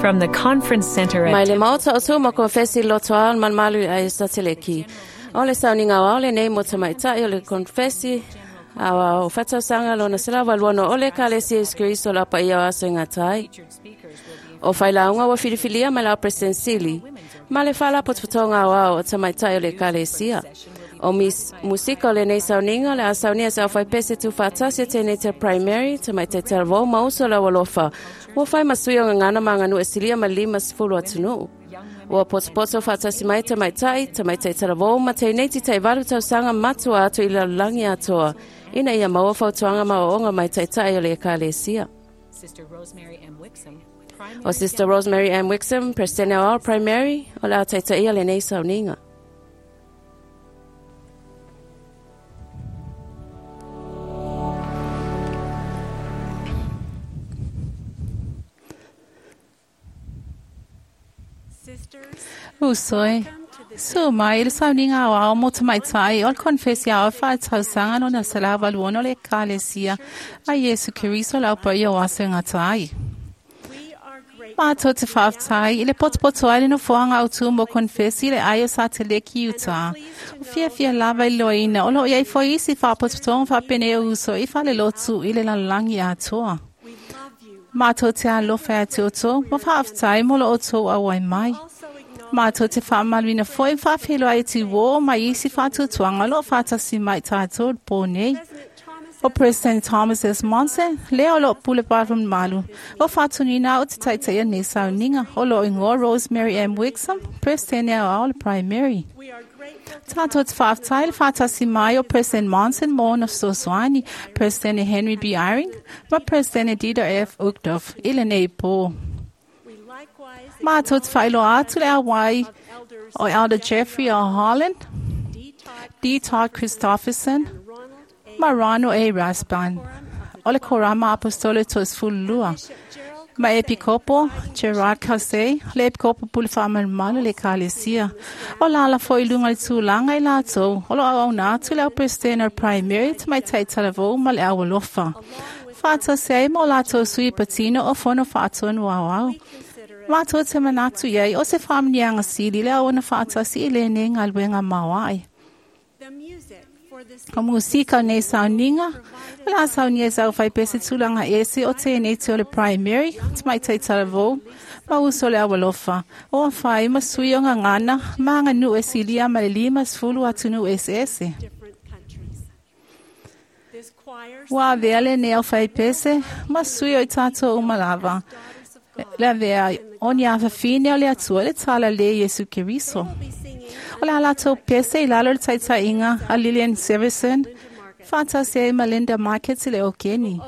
From the conference center Mai at le maota o tū ma konfesi loto ao malumalu i ai sateleki. O le sauniga o ao lenei mo tamaitai o le konfesi ao fatausanga lona selawa luano o le kalesia Iesu Keriso la paia o aso i gatai. O failauga ua filifilia mai la President Sili ma le faalapotopotoga aoao o tamaitai o le ekalesia. O mis, musika o lenei sauniga o le a saunia se aufaipese tuufaatasi e teinei primary tamaitai talavou ma uso le aualofa ua fai ma sui o gagana ma aganuu e silia ma le 50 atunuu. Ua potopoto faatasi mai tamaitai, tamaitai talavou ma teineiti 8 tausaga matua atu i le lalolagi atoa ina ia maua fautuaga ma aoaoga mai taitai o le ekalesia. Sister Rosemary M. Wixom, O Sister Rosemary M. Wixom, President o Primary, o le a taitaia lenei sauniga. Uso e. Su mai le sauniga aoao mo tamaitai o le konfesi ao faatausanga lona 186 o le ekalesia a Iesu Keriso le aupaia o aso e gatai. Mātou te faafetai i le potopoto ai le nofoaga autū mo konfesi le ai o Sateleki i Utah. O fiafia lava i loaina o loo iai foi isi faapotopotoga faapenei o uso i falelotu i le lalolagi atoa. Mātou te alofa ia te outou, ma faafetai mo lo outou auai mai. Mātou te faamaluina foi ma faafeiloai i tiuō mai isi faatuatuaga o loo faatasi mai tātou i le pō nei. O President Thomas S. Monson, lea o loo pule malu. O faatonuina au te taitaia nei sauniga o loo igoa Rosemary M. Wixom, President aoao le Primary. Tātou te faafetai le faatasi mai o President Monson mo ona fesoasoani, President Henry B. Eyring, ma President Dieter F. Uchtdorf i lenei pō. Mātou te faailoa atu le auai o Elder Jeffrey R. Holland, D. Todd Christofferson, ma Ronald A. Rasband, o le Korama Apostolo 32, ma Epikopo Gerard Caussé, le Epikopo Pule Faamalumalu le Ekalesia. O lala foi i luga i le tulaga i latou, o loo auauna atu le au President o le Primary tamaitai talavou ma le aualofa. Faatasi ai ma o latou sui patino o fono faatonu aoao. Mātou te manatu iai o se faamuniaga sili le auauna faatasi i lenei galuega maoae. O musika o nei sauniga, o le a saunia e sau faipese tulaga ese o teinei o le Primary, tamaitai talavou, ma uso le aualofa. O afai ma sui o gagana, ma aganuu e silia ma le 50 atunuu eseese. Ua avea lenei aufaipese ma sui o i tatou uma lava. Le avea o ni afafine o le Atua i le talalelei Iesu Keriso. O le a latou pese i lalo o le taitaiga a Lillian Severson, faatasi ai ma Linda Markets i le okeni.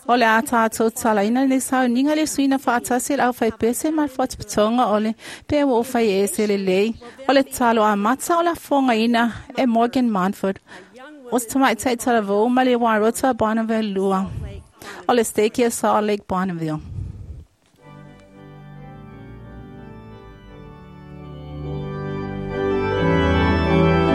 O le a tātou talaina lenei sauniga i le suiga faatasi e le aufaipese ma le faapotopotoga o le pe ua ou fai ese lelei o le tatalo amata o le afogaina e Morgan Manford. O se tamaitai talavou ma le Wairota Bonneville 2. O le stake o Salt Lake Bonneville. Hallelujah.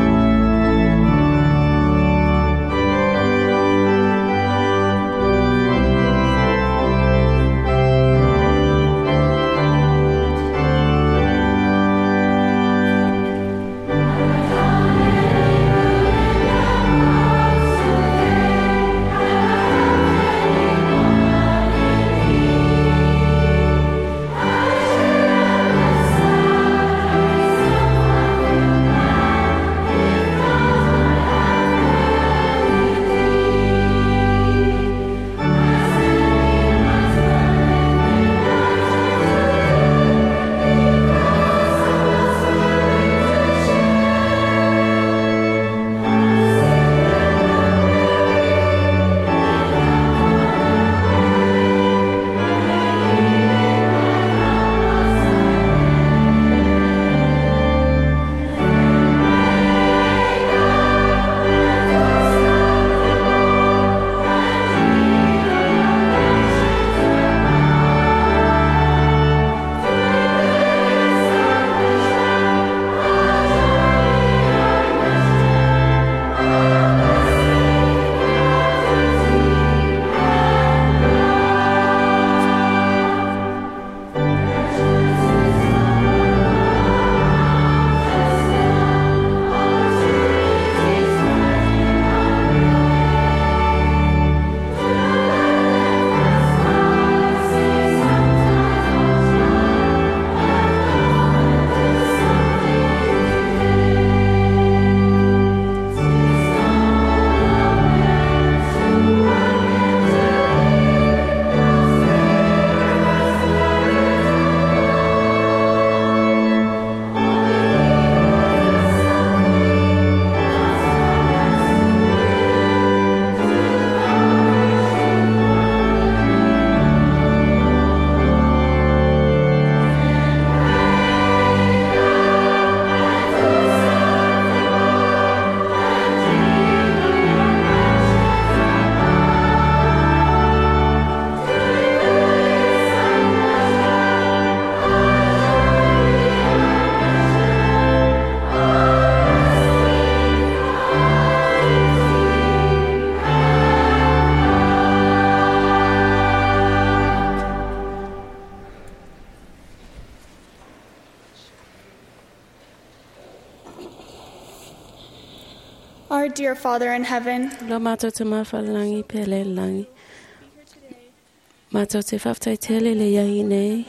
dear Father in heaven, Lo mātou te mawhalangi pe le langi. Mātou te whaftai tele le iai nei.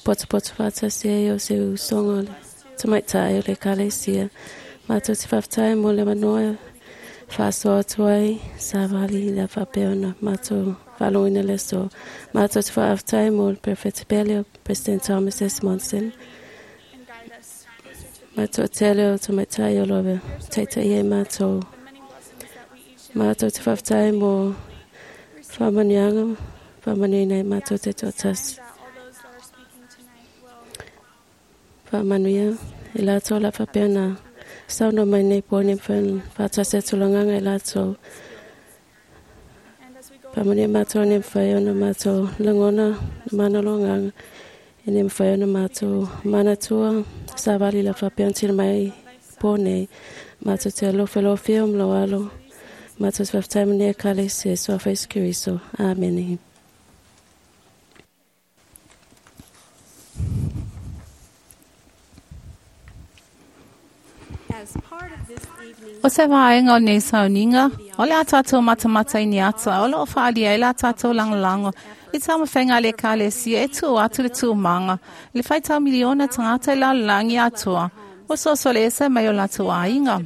Poto poto whata se o se usonga le tamaitai o le kalesia. Mātou te whaftai mo le manoa whasoa atu ai savali le whapeona. Mātou whalonga le so. Mātou te whaftai mo le Prefect Pele o President Thomas S. Monson. and guide us closer to Mātou tele o tamaitai o lowe. Teita ia mātou. the many blessings that we each Mātou te whaftai mo whamanianga, whamanuina i mātou te tōtasi. that all those that are speaking tonight will Whamanuia, i lātou la whapeana. Sauna mai nei pōne whan, whātasi atulanganga i lātou. and as we go Whamanuia mātou ne mwhai ona mātou langona, mana longanga. E ne mwhai ona mātou manatua, sāwali la whapeana tira mai pōne. Mātou te alofa lofia o mloalo. Mātou te whaftai mene kale se soafa Isu Keriso. Amene. As part of this evening's O se vaenga o nei sauninga, o le a tātou matamata i ni ata, o loo whaalia i la tātou langolango. I tā mawhenga le kalesia e tū atu le tū manga. Le whaitau miliona tangata i la langi atua. O soso le esa mai o lātou ainga.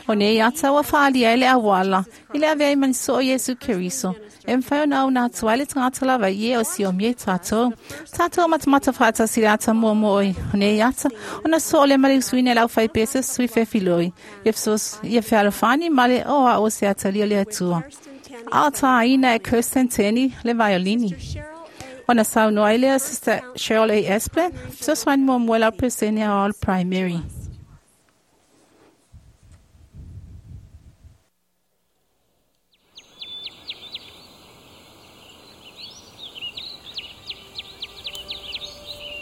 O nei ata ua whaalia i le awala, i le avea i maniso o Yesu Keriso. E mwhai o nau nā tua i le tangata lava i e o si o mie tātou. Tātou matamata whaatasi le ata mua mua oi. O nei ata, o na so o le male usuine lau whai pesa sui whewhiloi. Ia fesos, ia whealofani male o a o se atalia le atua. A tā ina e Kirsten Teni le violini. Cheryl A. O na sau noa i lea Sister Cheryl A. Esplin, fesoasoani muamua lau Presenia All Primary.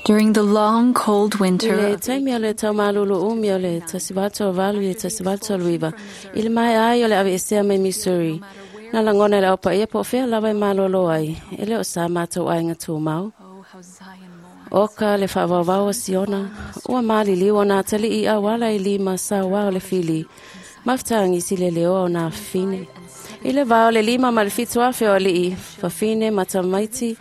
During the long cold I winter le of taimi o le taumalolo umi o le tasivato o valu i le tasivato o luiva. I le mai ai o le ave esea mai Missouri. Nā langona le aupa ia po whea lawa i malolo ai. E leo sa mātou ai ngā tūmau. Oh, how Zion mourns. O ka le whaawawau o Siona. Ua mali liwa nā tali i awala i lima sa wao le fili. Maftangi si le leo o nā fine. I le vao le lima ma le fitu afe o alii. Fafine matamaiti.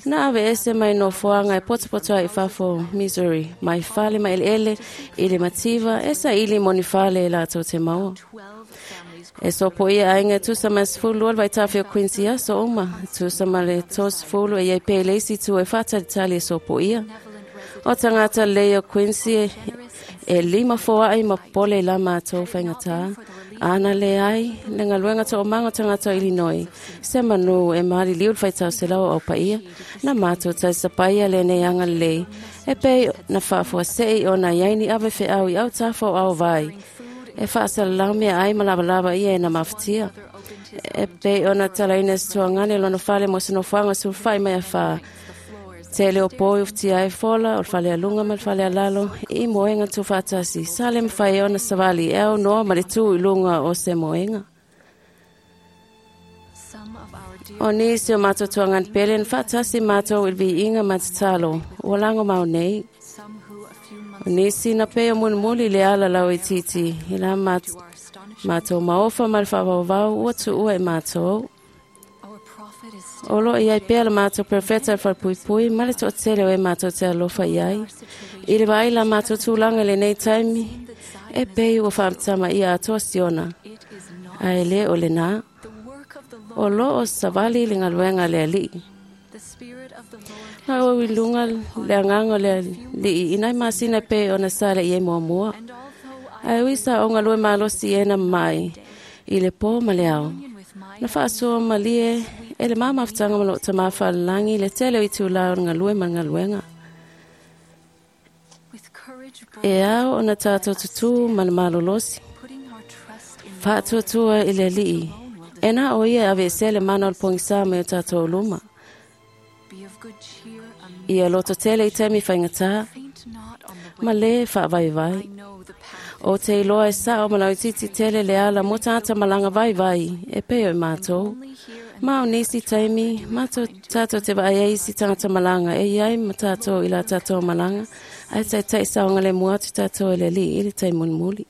Nā ave ese mai no fuanga e potopoto ai fafo Missouri. Mai fale mai ele ele i le mativa esa ili moni fale e lātou te maua. 12 families E so po ia ainga tusa ma sefulu al vaitafi o Quincy aso uma. Tusa ma le 30 e iai pe leisi tu e whātalitali e so po ia. O tangata lei o Quincy e lima foa ai ma pole i la mātou whaingatā. Ana le ai, le ngaluenga tō o manga tangata o Illinois. Se manu e mahali liu le whaitau se lau au paia. Nā mātou tai sapaia le nei anga lei. E pei na whaafua sei o nā iaini awe wheau i au tāfo au vai. E whaasalau mea ai ma lava lava ia e na mawhitia. E pei o na talaina tuangane lona fale mo sino fuanga su whai mai a wha. Te leo poi uftia e fola, o le fale alunga ma le fale alalo, i moenga tu whaatasi. Sa le mwhai ona savali, e au noa ma le tū i lunga o se moenga. Some of our dear O nisi o mātou tuangan pele, na whaatasi mātou i vi inga ma te talo, o lango mau nei. some who a few months O nisi na peo munumuli le ala lau i titi, i la to our astonishment mātou maofa ma le whaawawau, ua tu ua e mātou. our prophet is still O lo i ai pea le mātou profeta le whalpuipui, ma le to'atele o e mātou te alofa i ai. I le vai la mātou tūlanga le nei taimi, e pei ua whaamtama ia atoa siona. it is not Ai le o le nā, the work of the o Lord lo o savali le ngaluenga le alii. the spirit of the Lord Nā o i lunga le anganga le alii, inai masina pe o na sale i e muamua. and although I Ai uisa o ngalue malosi e na mai, i le pō ma le ao. union with my Na whaasua malie, e le mamafutanga ma lo tamafa langi le tele o i tū lao o ngalue ma ngaluenga. with courage bold, E ao o na tātou tutu ma le malolosi. putting our trust in Whaatuatua i le alii. E nā o ia ave se le mana o le pongisa mai o tātou luma. be of good cheer amid Ia loto tele i taimi whaingatā, faint not on the ma way le whaavaivai. I know the path O te iloa e sao ma lau titi tele le ala mo tāta malanga vai vai, e peo e mātou. only here and Ma o nisi taimi, mātou tātou te vai e isi tangata malanga, e iai ma tātou i la tātou malanga, ai tai tai saonga le mua atu tātou e le li, i le tai munimuli.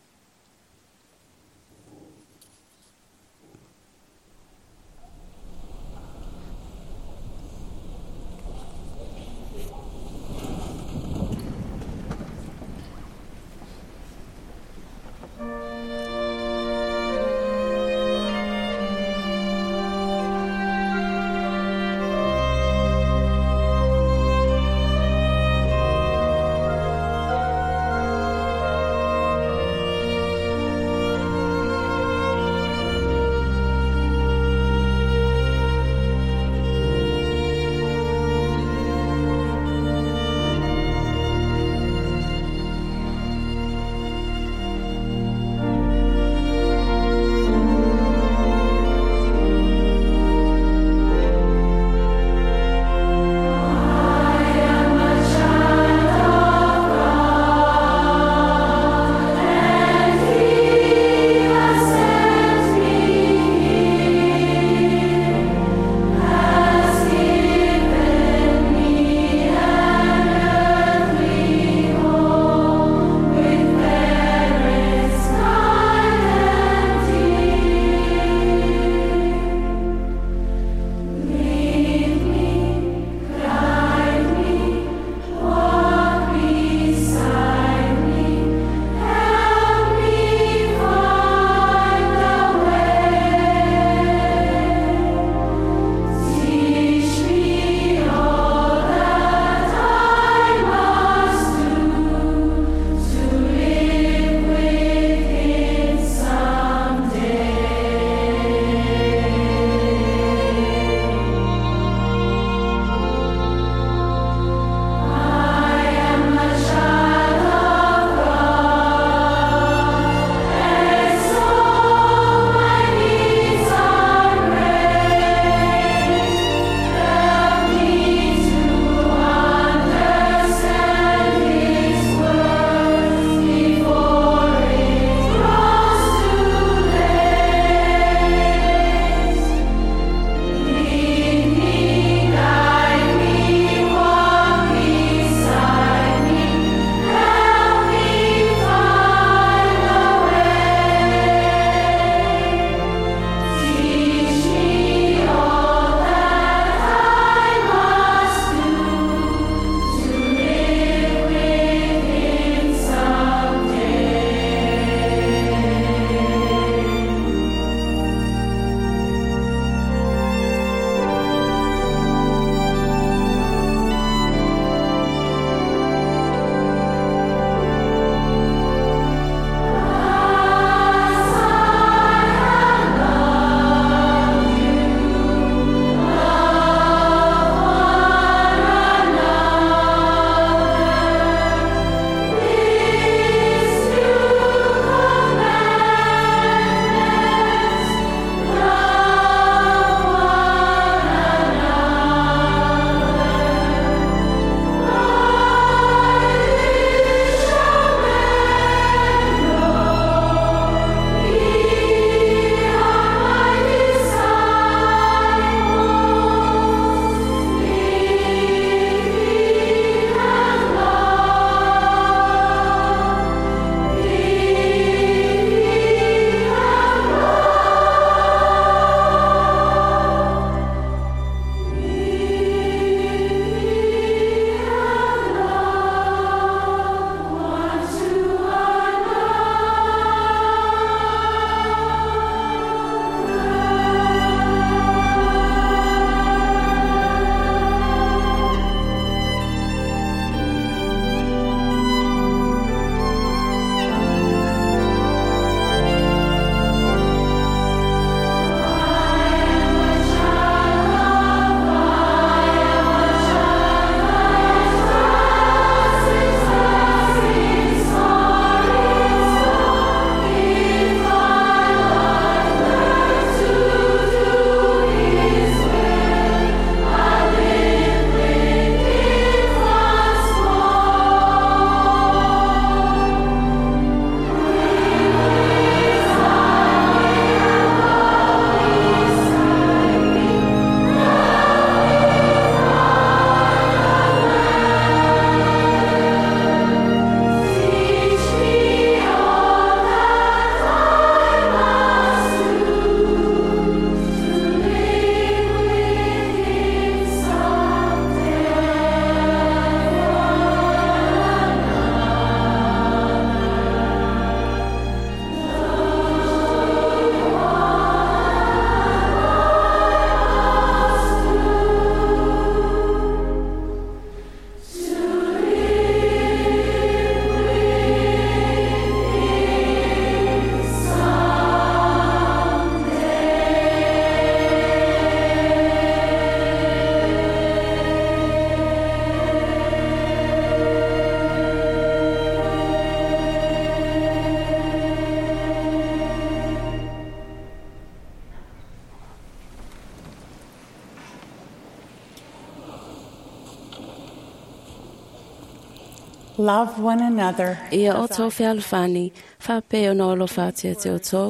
Love one another. Ia o tō fealofani, whapē o no alofa atu ia te o tō.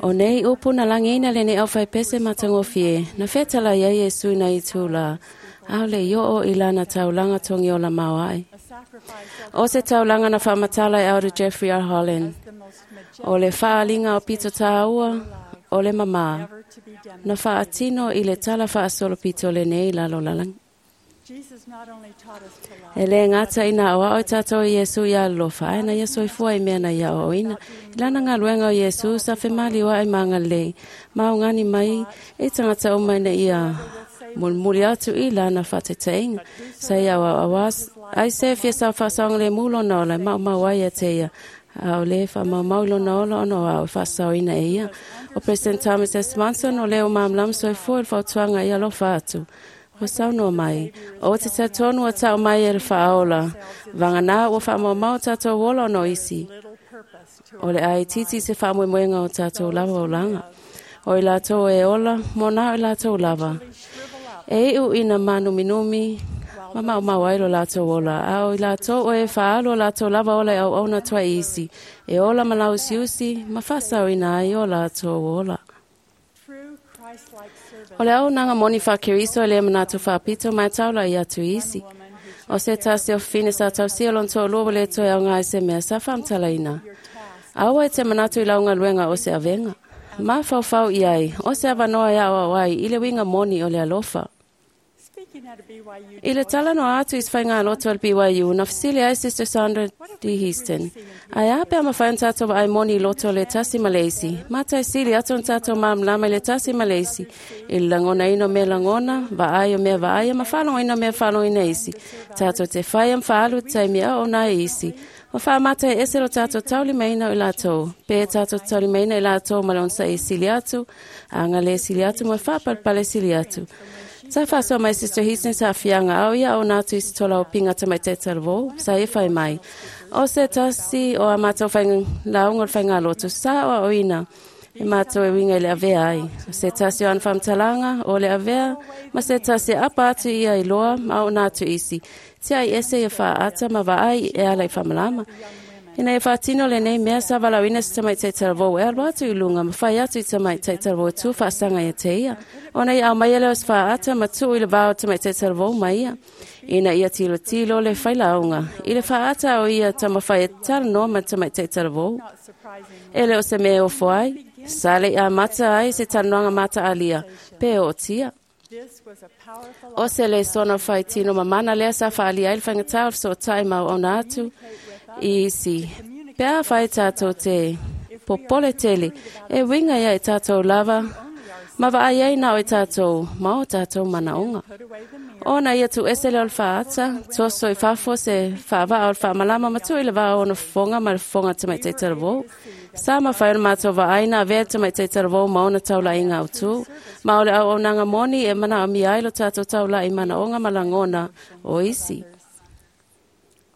O nei upu na langiina le nei au whai pese matangofie, na whetala ia Iesu na i tūla. Aole i o i lana taulanga tongi o la mauai. A sacrifice O se taulanga na whamatala e auru Jeffrey R. Holland. of the most majestic O le whaalinga o pito tāua, o le mamā. ever to be Na demonstrated. whaatino i le tala whaasolo pito le nei lalo lalang. Jesus not only taught us to love, E le ngata ina o ao tātou i Iesu i alofa, ai na Iesu i fua i mea na ia o ina. I lana ngā luenga o Iesu, sa whemali wa ai manga lei. Mau ngani mai, e tangata o mai na ia mulmuli atu i lana whateteinga. Sa ia wa awas, ai se fia sa whasang le mulo na ola, mau mau ai e te ia. Au le wha mau mau lo na ola ono au whasau ina e ia. O President Thomas S. Monson o leo mamlam so i fua i whautuanga i alofa atu. O saunoa mai, o te tatonu o tau mai e le whaola, vanga nā ua whaamaumau tātou ola o no isi. little purpose to O le ai titi se whaamoemoenga o tātou lava o langa. O i lātou e ola, mō nā o i lātou lava. shrivel up E iu ina mānuminumi, ma mau mau ai lo lātou ola. A o i lātou o e whaalo lātou lava ola e au auna tua isi. E ola ma lausiusi, ma whasau ina ai o lātou ola. true Christ-like service. O le au nanga moni wha keriso e le manatu whaapito mai taula i atu isi. Woman who O se tasi o fine sa tausia o lonto lua le toe au ngai se mea sa whamtala ina. your task Aua e te manatu i launga luenga o se avenga. Ma whauwhau i ai, o se avanoa ia au ai, i le winga moni o le alofa. Speaking at a BYU I le tala no atu i whainga loto al BYU, na whasili ai Sister Sandra D. Houston. Ai ape ama whain tātou wa ai moni i loto le tasi Malaisi. Mātai sili atu n tātou mamlama i le tasi Malaisi. I le langona ino mea langona, va ai o mea va ai, ma whalongo ino mea whalongo ina isi. Tātou te whai am whaalu tai mea o nā isi. Ma wha mātai ese lo tātou tauli meina o i lātou. Pe tātou tauli meina i lātou ma le onsa e sili atu. Anga le sili atu mo whapalpale sili atu. Sa whasoa mai Sister Houston sa whianga au ia o nātu i tola o pinga tamai te talvo, sa e whai mai. O se tasi o a mātou whainga launga o le whainga lotu, sa o a oina. E mātou e winga i le avea ai. O se tasi o an whamtalanga o le avea, ma se tasi apa atu ia i loa ma o nātu isi. Tia i ese ia whaata ma vaai e ala i whamalama. Ina e whaatino le nei mea sa walauina se tamai te talavou e alu atu i lunga ma whai atu i tamai te talavou tu whaasanga ia te ia. Ona i au mai ele o se whaata ma tu i le vao tamai te talavou mai ia. Ina ia tilo tilo le whailaunga. I le whaata o ia tamawhai e talanoa ma tamai te talavou. not surprising E le o se mea o foai, sa le ia mata ai se talanoanga mata alia, pe o tia. this was a powerful O se le sona whai tino mamana lea sa whaalia i le whangatau o so tai mau ona atu i isi. Pea whai tātou te popole tele, e winga ia i tātou lava, ma vaai ai nā o i tātou, ma o tātou manaonga. put away the mirror Ona ia tu ese le o le whaata, toso i whafo se whaavaa o le whaamalama ma tu i le vaa ono fonga ma le fonga te mai te talavou. Sa ma whai o mātou vaai nā vea te mai te talavou ma ona taula i ngau tū. Ma o le au au nanga moni e mana o mi ai lo tātou taula i mana onga ma langona o isi.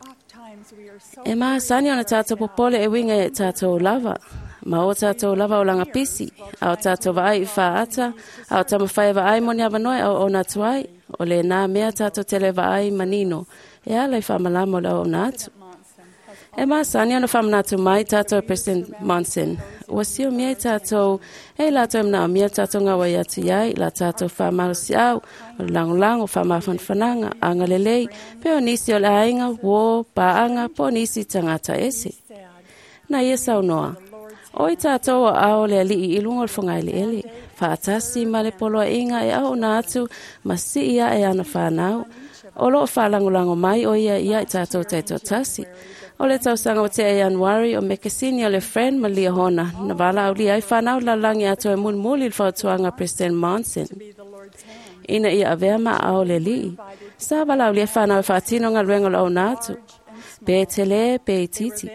Oft times we are so E mahasani ona tātou popole e winga e tātou lava. Ma o tātou lava o langa pisi, a o tātou vaai i whaata, a o tamawhai vaai moni awanoe au o nā tuai, o le nā mea tātou tele vaai manino, e ala i whamalama o le au o nā atu. Monson has E mahasani ona whamanatu mai tātou President Monson. Ua sio mea i tātou, e lātou e mana o mea tātou ngā wai atu iai, la tātou whamalosi au, o le langolango, whamafanfananga, anga lelei, pe o nisi o le ainga, wō, pāanga, po nisi tangata ese. said Na ia saunoa. O i tātou o ao le alii i lunga o le whangaile ele. Whaatasi ma le poloa inga e au nā atu, ma si ia e ana whanau. O loo whalangolango mai o ia ia i tātou taito tasi. O le tausanga o te e Januari o mekesini o le friend ma lia hona. Na wala au lia ai whanau lalangi atu e mulmuli le whautuanga President Monson. be the Lord's hand Ina ia avea ma ao le lii. Sa wala au lia whanau e whaatino ngā luenga lo au nā atu. Pe tele, pe i titi.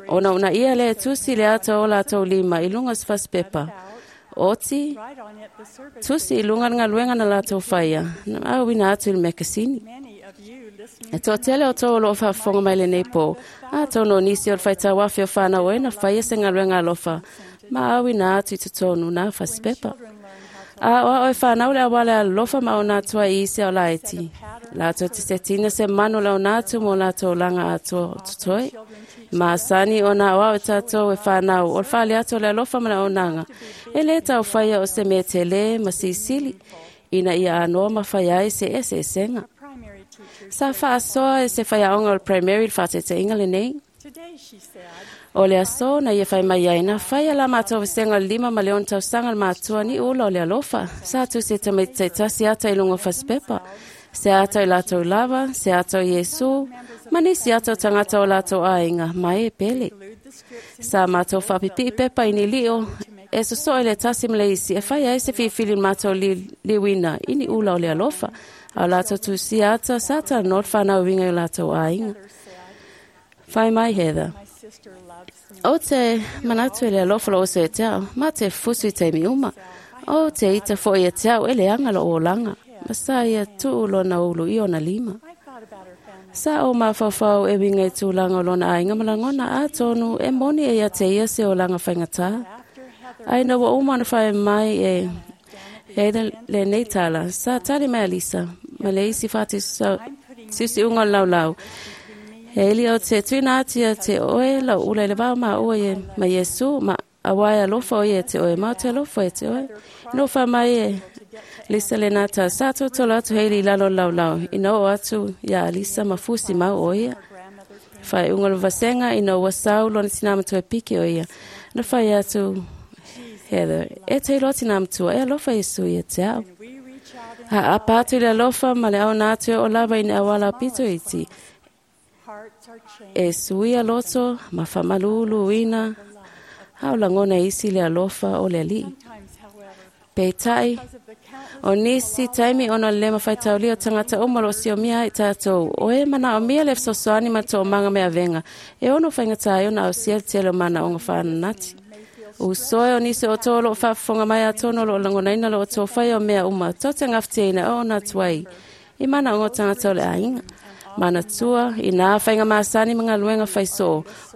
Ona una ia le tusi le ata o lātou lima i lunga o se fasipepa. Oti, write on it the service tusi i lunga ngā luenga na lātou whaia. Na au ina atu i le mekasini. many of you listening E tō tele o tō o lo whaafonga mai le nei pō. A tō no nisi o le whaitau awhi o whānau e na whaia se ngā luenga alofa. Ma au ina atu i te tōnu nā fasipepa. children learn how A o ao e whanau le awale alofa ma o nātua i isi o laiti. Lātou te setina se manu le o nātu mo lātou langa atoa o tutoe. Ma sani o nā o ao e tātou e whanau o le whale atu le alofa ma le auaunaga. E le tau whaia o se mea te le ma sisili. Ina ia anoa ma whai ai se ese esenga. Primary teacher. Sa whaasoa e se whaiaonga o le primary le whaatete le nei. Today, she said, O le aso na ia whai mai ai na whai ala mātou vesenga o le lima ma le ono tausaga le mātua ni ula o le alofa. Sa atu se tamaiti taitasi ata i lunga o fasipepa. Se ata i latou lava, se ata o Iesu, ma nisi ata o tangata o latou aiga, mai e pele. glued the scripts in Sa mātou whapipii pepa i ni lio, e sosoe le tasi ma le isi, e whai ai se whiwhili mātou li, liwina, i ni ula o le alofa. A o latou tusia ata, sa ta no le whanau winga i latou aiga. said, Whai mai Heather. My sister loves me. O te manatu e le alofa lo oso e te ao, ma te fusu i taimi uma. O te ita fo i e te ao e le anga lo o langa. Ma sa ia tuu lona ulu i ona lima. I thought about her family. Sa o mawhawhau e winga i tūlanga o lona ainga malangona a tonu e moni e ia te ia se o langa whaingatā. After Heather Ai na wa uma na whai mai e Heather le nei tala. Sa tali mai Alisa. Ma le isi whati sa sisi unga lau lau. He ili o te tuina atia te oe lau ula i le vao ma oe e ma Iesu ma awae alofa oe e te oe ma o te alofa e te oe. No wha mai e Lisa le nata sa totolo atu heili i lalo lau lau. Ina o atu ia Alisa ma fusi mau o ia. grandmother came Whai unga le vasenga ina ua sau lona tina matua e piki o ia. Na whai atu Heather, e te iloa tina matua e alofa Iesu ia te ao. we reach out in Ha apa atu i le alofa ma le au nā atu e o lava ina awala pito iti. hearts are changed. E suia loto, ma whamalulu ina, hao langona isi le alofa o le alii. Sometimes, however, Peitai, because of the countless o nisi taimi ona le mawhaitaulia o tangata o malo sio mia ai tātou. O e mana o mia le fesoasoani ma tō manga mea venga. E ono whaingata ai ona au sia te le mana o ngā whananati. O soe o nisi o tō lo whaafonga mai a tōno lo langonaina lo o tō whai o mea uma. Tō te ngawhiteina o ona tuai. I mana o ngā tangata o le ainga. Mana tua, i nā whainga māsani mga luenga whaisō.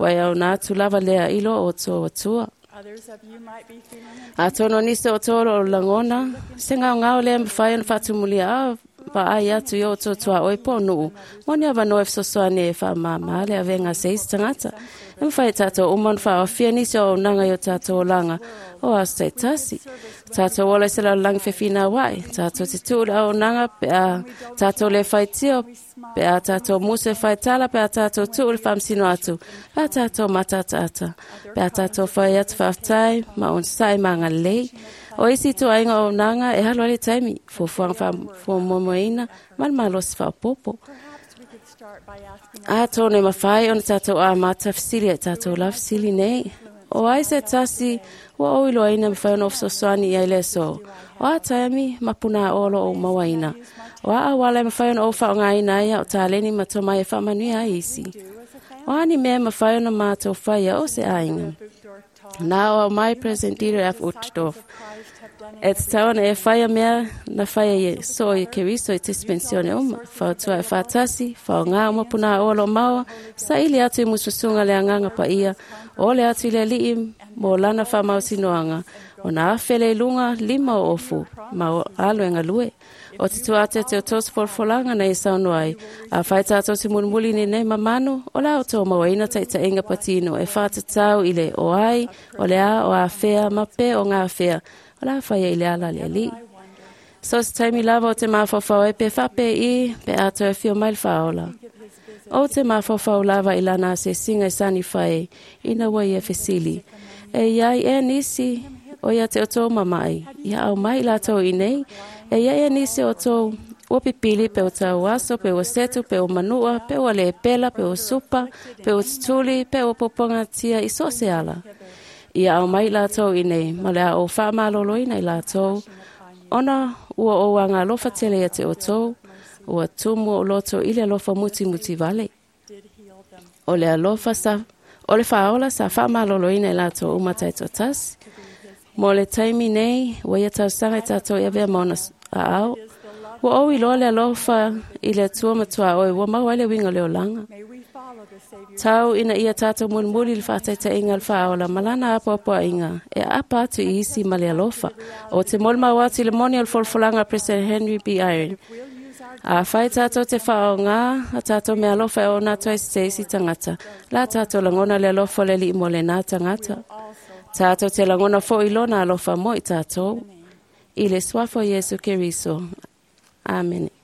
Wai au nā tūlava lea ilo o tō atua. others of you might be feeling A tono nisi o tōro o langona, se ngao ngao le mwhai ona whatumulia a pa ai atu i o tō tua oi pō nuu. Moni awa noe fesoasoani e wha mā le awenga se isi tangata. E mwhai tātou umon wha o fia nisi o nanga i o tātou o langa o aso te tasi. Tātou ola se lau langi whewhina wai. Tātou te tūra o nanga pe a tātou le whai tio, pe a tātou musu e whai tala, pe a tātou tū le whamsino atu, pe a tātou matata ata, pe a tātou whai atu whaftai, ma on sai ma ngā lei. O isi tō ainga o nanga e halo ale taimi, fuafuanga wha ma le malosi whapopo. Perhaps we could start by asking A tōne mawhai ona tātou a māta whisili e tātou la whisili nei. O ai se tasi, ua o iloa ina mawhai ona ofsosoani i ai le so. O a taimi, mapuna o lo o mawaina. O a awala e mawhai ona o whaonga ina ia o tāleni ma tō mai e whamanui a isi. do as a family. O ani mea mawhai ona mātou whaia o se ainga. Uchtdorf taught Nā o mai President Dieter F. Uchtdorf. of Christ have done E te tawana e whaia mea na whaia i so i Keriso i tispensione uma. Whautua e whātasi, whao ngā uma puna o lo maua, sa ili atu i mususunga le anganga pa ia, o le atu i le lii mō lana whamausinoanga, o nā awhele i lunga lima o ofu, ma o aluenga lue. O te tuate te o tōs folfolanga nei saunoa ai, a whai tātou te mulimuli ni nei mamanu, o la o tō mawaina taitainga patino, e whātatau i le o ai, o le a, o a whea, ma pe o ngā whea, o la whaia i le ala le alii. So se taimi lava o te mawhawhau e pe whape i, pe ato e whio mai le whaola. O te mawhawhau lava i lana se singa i sani whai, ina wai e whesili. E iai e nisi, o ia te o tō mamai, ia au mai lātou i nei, e ia e nisi o tō ua pipili pe o tau aso, pe o setu, pe o manua, pe o le pela, pe o supa, pe o tutuli, pe o poponga tia i so se ala. Ia au mai lātou i nei, ma le a o whaamalolo ina i lātou, ona ua o anga alofa tele ia te o tō, ua tumu o loto i le alofa muti muti vale. did heal them. O le alofa sa, o le whaola sa whaamalolo ina i lātou uma taito tasi. Mo le taimi nei, ua ia tausaga i tātou ia vea maona a ao. Ua o iloa le alofa i le atua matua oe, ua mau ai le winga o le olanga. May we follow the Savior's Tau ina ia tātou mulimuli le faataitaiga o le faaola ma lana apoapoaiga e aapa atu i isi ma le alofa. O te molimau atu i le moni o le folafolaga a President Henry B. Eyring. Afai tātou te faaaogā a tātou meaalofa e ona atu ai se isi tagata, la tātou lagona le alofa o le Alii mo lenā tagata. Tātou te lagona foʻi lona alofa mo i tātou. I le suafa o Iesu Keriso. Amene.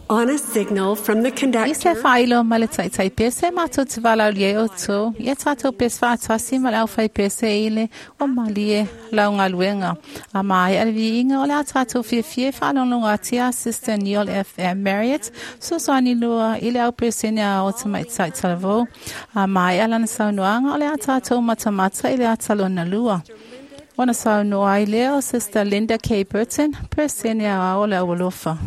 On a signal from the I se conductor, faailo ma le taitai pese matou te valaaulia ai outou, ia tatou pese faatasi ma le aufai pese i le o malie lau galuega. A maea le viiga o le a tatou fiafia e faalogologo atu a Sister Neil F. M. Marriott, fesoasoani lua i le auperesene a o tamaitai talavou. A maea lana saunoaga o le a tatou matamata i le ata lona lua. Ona saunoa ai lea o Sister Linda K. Burton, peresene aoao o le aualofa.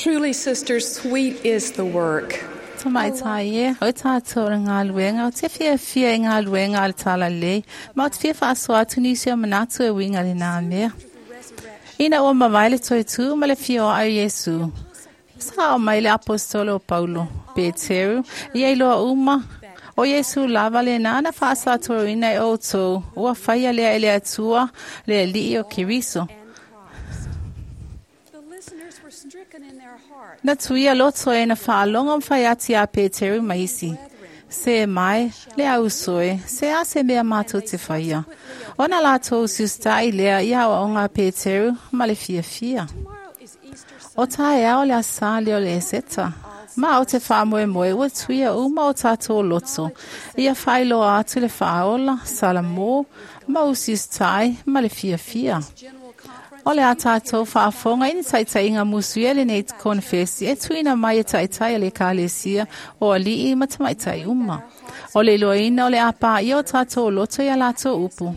Truly, sisters, sweet is the work. Tamaitai e, o tātou le galuega, o te fiafia i galuega a le talalelei, ma o te fia faasoa atu nisi o manatu e uiga i lenā mea. Ina ua mavae le toetū ma le fia o au Iesu. Sa o mai le apostolo o Paulo, Peteru, ia iloa uma, o Iesu lava lenā na faasatoroina e outou, ua faia lea e le Atua, le Alii o Keriso. the listeners were stricken in their hearts. Na tuia loto e na faalogo ma faiati a Peteru ma isi. Se mai, le auso e, se a se mea mātou te whaia. Ona lātou sustai lea i awa o ngā Peteru ma le fiafia. Tomorrow is Easter O taeao le asa lea o le Eseta. Ma o te faamoemoe ua tuia uma o tātou loto. Ia whailoa atu le faaola, salamō, ma usiustai ma le fiafia. General Conference. O le a tātou whaafonga i ni taitaiga musuia le nei konfesi e tuina mai e taitai a le ekalesia o ali'i ma tamaitai uma. O le iloaina o le a pāia o tātou loto i a latou upu.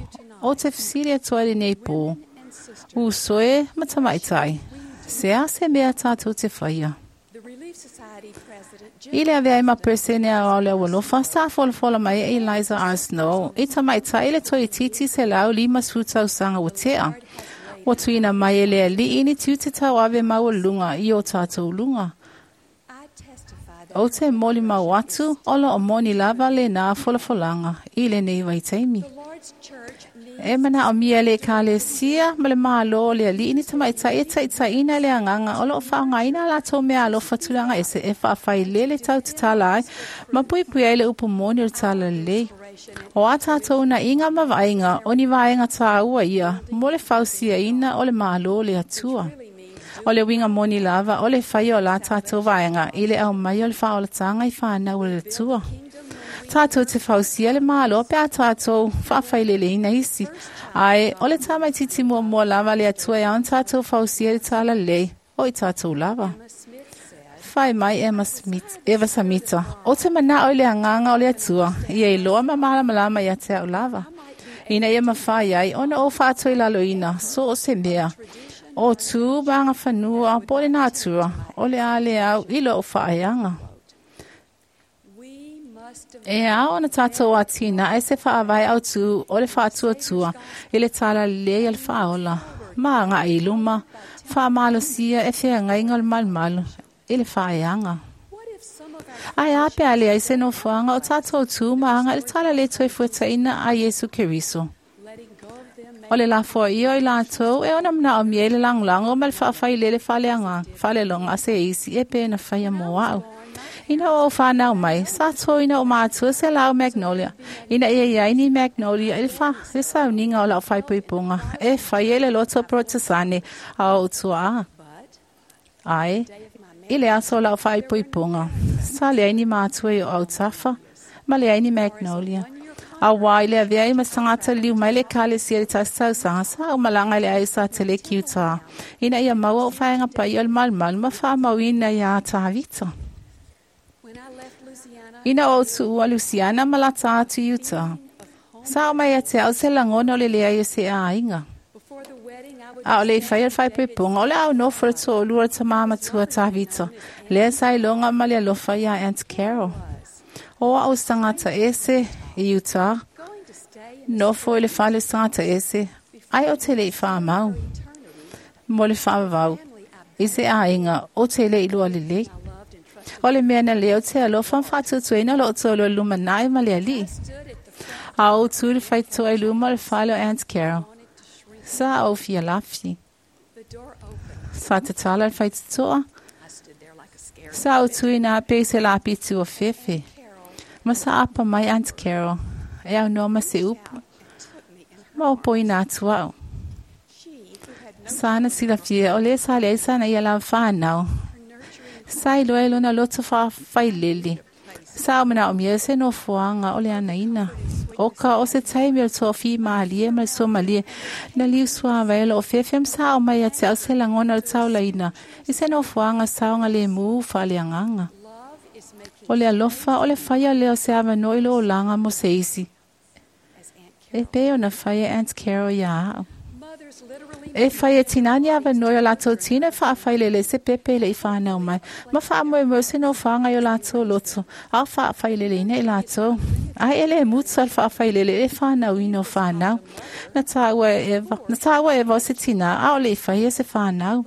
O te fesili atu ai lenei pō. Uso e ma tamaitai. Se a se mea tātou te whaia. The Relief Society President Jim I le avea ai ma peresene a o le aualofa, sa folafola mai e Eliza R. Snow, i tamaitai le toeitiiti 150 tausaga ua tea. Ua tuuina mai e le ali'i ni tiute tauave maualuluga i o tātou luga. I testify that O te molimau atu, o loo moni lava lenā folafolaga i lenei vaitaimi. the Lord's church needs E manaomia le ekalesia ma le mālō o le ali'i ni tamaitai e taitaiina le agaga o loo faaaogaina a latou mea alofa tulaga ese e faafailele tautatala ai ma puipui ai le upu moni o le talalelei. O a tātou naiga ma vaaiga o ni vaega tāua ia mo le fausiaina o le mālō o le Atua. O le uiga moni lava o le faia o la tātou vaega i le aumai o le faaolataga i whānau o le Atua. Tātou te fausia le mālo pe a tātou whaafaileleina isi. Ai, o le tamaititi muamua lava le Atua e aon tātou fausia le talalelei o i tātou lava. Emma Smith said, Whai mai Emma Smith, Eva Samita. O te manao i le anganga o le Atua, ia iloa ma malamalama ia te au lava. Ina ia mawhai ai, ona o whātua i laloina, so o se mea. O tū maanga whanua, po le nātua, o le a le au i lo o whaeanga. we must E ao na tātou a tina, e se whaawai au tū, o le whaatuatua, i le talalelei a le whaola. Maanga i luma, whaamalosia e whia ngainga o le malumalu, i le whaeanga. What if some of our Ai a pe ale ai se nofoanga o tātou tū maanga i le talalelei toi fuetaina a Iesu Keriso. letting go of them O le lafoa ia i lātou e ona manaomia i le lagolago ma le faafailele faaleaga faaleloga a se isi e pe na faia mo a'u. Ina o whānau mai, sa tōina o mātua se lau Magnolia. Ina ia iai ni Magnolia i le wha, le sauniga o lau whaipuipunga. E whai e le loto protesane a o tua a. but Ai, i le aso o lau whaipuipunga. Sa leai ni mātua i o autafa, ma leai ni Magnolia. A wā i le avea i masangata liu mai le ekalesia le tasi tausaga sa o malaga i le ai sa tele ki utā. Ina ia maua o whaenga pai o le malumalu ma whaamauina ia Tāvita. when I left Louisiana Ina o tuua Luciana ma lata atu i Utah. Sa o mai a te au se lagona o le leai o se āiga. before the wedding I would A o le i whai o le whaipuipunga, o le au nofo le to'olua le tamā matua Tāvita. Lea sa iloga ma le alofa iā Aunt Carol. O a'u tagata ese i Utah, going to stay in nofo i le fale o tagata ese, ai o te le i whaamau, eternity mo le whaavavau, family I i se āiga o te le i lua lelei. loved and trusted O le mea na leo te alofa whaatutuina lo o tōlua lumanai ma le ali'i. stood at the front A o tū le whaitoa i luma o le fale o Aunt Carol. wanted to shrink Sa o fia lafi. the door opened Sa te tala le whaitoa. I stood there like a scared Sa o tui nā pe se lapi tu o fefe. Carol Ma sa apa mai Aunt Carol. E au noa ma se upu. and took me in her Ma o poi nā atu au. she who had no Sa na silafia o le sa le sa na ia la whānau. her nurturing Sa i loa e lona loto whailele. Sa o mana o mia se no fuanga o le anaina. O ka o se taimi o le toafi malie ma le somalie. Na liu sua vai o fefe sa o mai a te au se lagona o le taulaina. I se no fuanga saoga le mu faaleagaga. love is making O le alofa o le faia lea o se avanoa i lo olaga mo se isi. as Aunt Carol E pei ona faia Aunt Carol iā a'u. mothers literally E whai e tinani avanoa i o lātou tina e faafailele se pepe le i whānau mai. Ma whaamoemoe se no whāngai o lātou loto. A faafailele ina i lātou. Ai ele e mutu al faafailele e whānau ina o whānau. Na tāua e Eva, na tāua e Eva o se tina, a o le i whai e se whānau.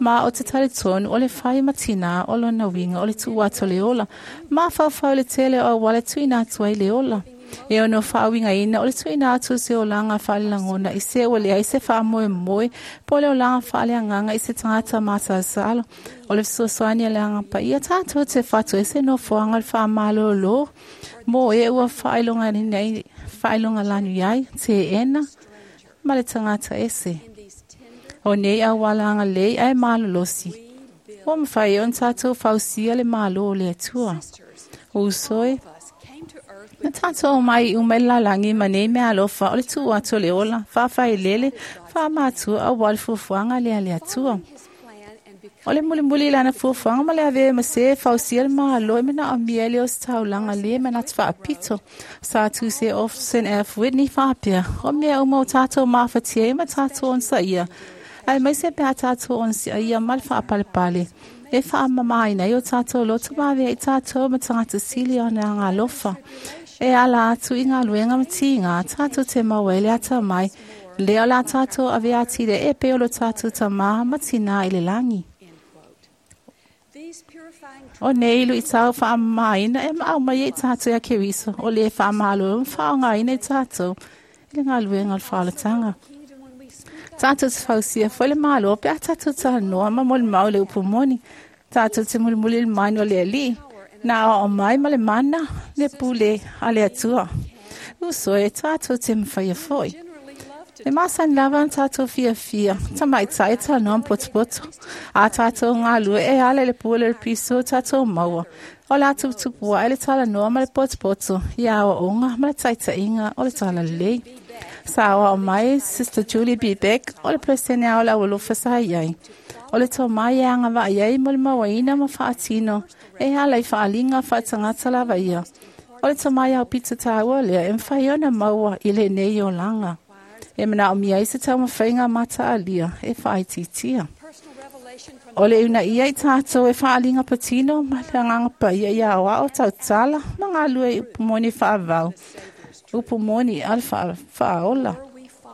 Ma o te tare tonu o le whai ma tina o lona winga o le tuu atu le ola. Ma whauwhau le tele o wale tuina atu ai le ola. E ono whaawinga ina o le tuina atu se olanga whaalelagona i se ua leai se faamoemoe po o le olaga faaleagaga i se tagata masalosalo. O le fesoasoani a le agapaia tatou te fatu e se nofoaga o le faamalōlō mo e ua faailogalanu ai teena ma le tagata ese. in these tender O nei auala agalelei ae malolosi. we build Ua mafai ai ona tatou fausia le mālō o le Atua. sisters Uso e of us came to earth Na tātou mai i uma i le lalagi ma nei mea alofa o le tuu atu o le ola, faafailele, Faamatua auā le fuafuaga lea a le Atua. O le mulimuli i lana fuafuaga ma le avea ma sē e fausia le Malo e manaomia ai le ositaulaga lē manatu faapito. Sa tusi e Orson F. Whitney faapea, O mea uma ua tatou mafatia ai ma tatou onosaia, aemaise pe a tatou onosaia ma le faapalepale, e faamamaina ai o tatou loto ma avea i tatou ma tagata sili ona agalofa. E ala atu i galuega ma tiga, tatou te maua ai le atamai, lea o le a tatou avea atili ai e pei o lo tatou Tamā ma Tinā i le lagi. O nei luitau faamamaina e aumai ai i tatou ia Keriso, o lē faamalolo ma faaaogaina i tatou i le galuega o le faaolataga. Tatou te fausia foi le Malo pe a tatou talanoa ma molimau i le upu moni. Tatou te mulimuli i le manu o le Alii, na aoao mai ma le mana le pule a le Atua. Uso e, tatou te mafaia foi. E masani lava ona tatou fiafia, tamaitai e talanoa ma potopoto. A tatou galue e ala i le pule o le piso o tatou maua. O le a tuputupu ae le talanoa ma le potopoto i aoaoga ma le taitaiga o le talalelei. Sa aoao mai Sister Julie B. Beck o le Peresene ao le Aualofa sa i ai. O le tomai e agavaa ai mo le mauaina ma faatino e ala i faaaliga faatagata lava ia. O le tomai aupito taua lea e mafai ona maua i lenei olaga. E manaomia ai se taumafaiga mataalia e faaitiitia. O le uunaia i tatou e faaaliga patino ma le agaga paia ia aoao tautala ma galue i upu moni faavavau, upu moni a le faaola.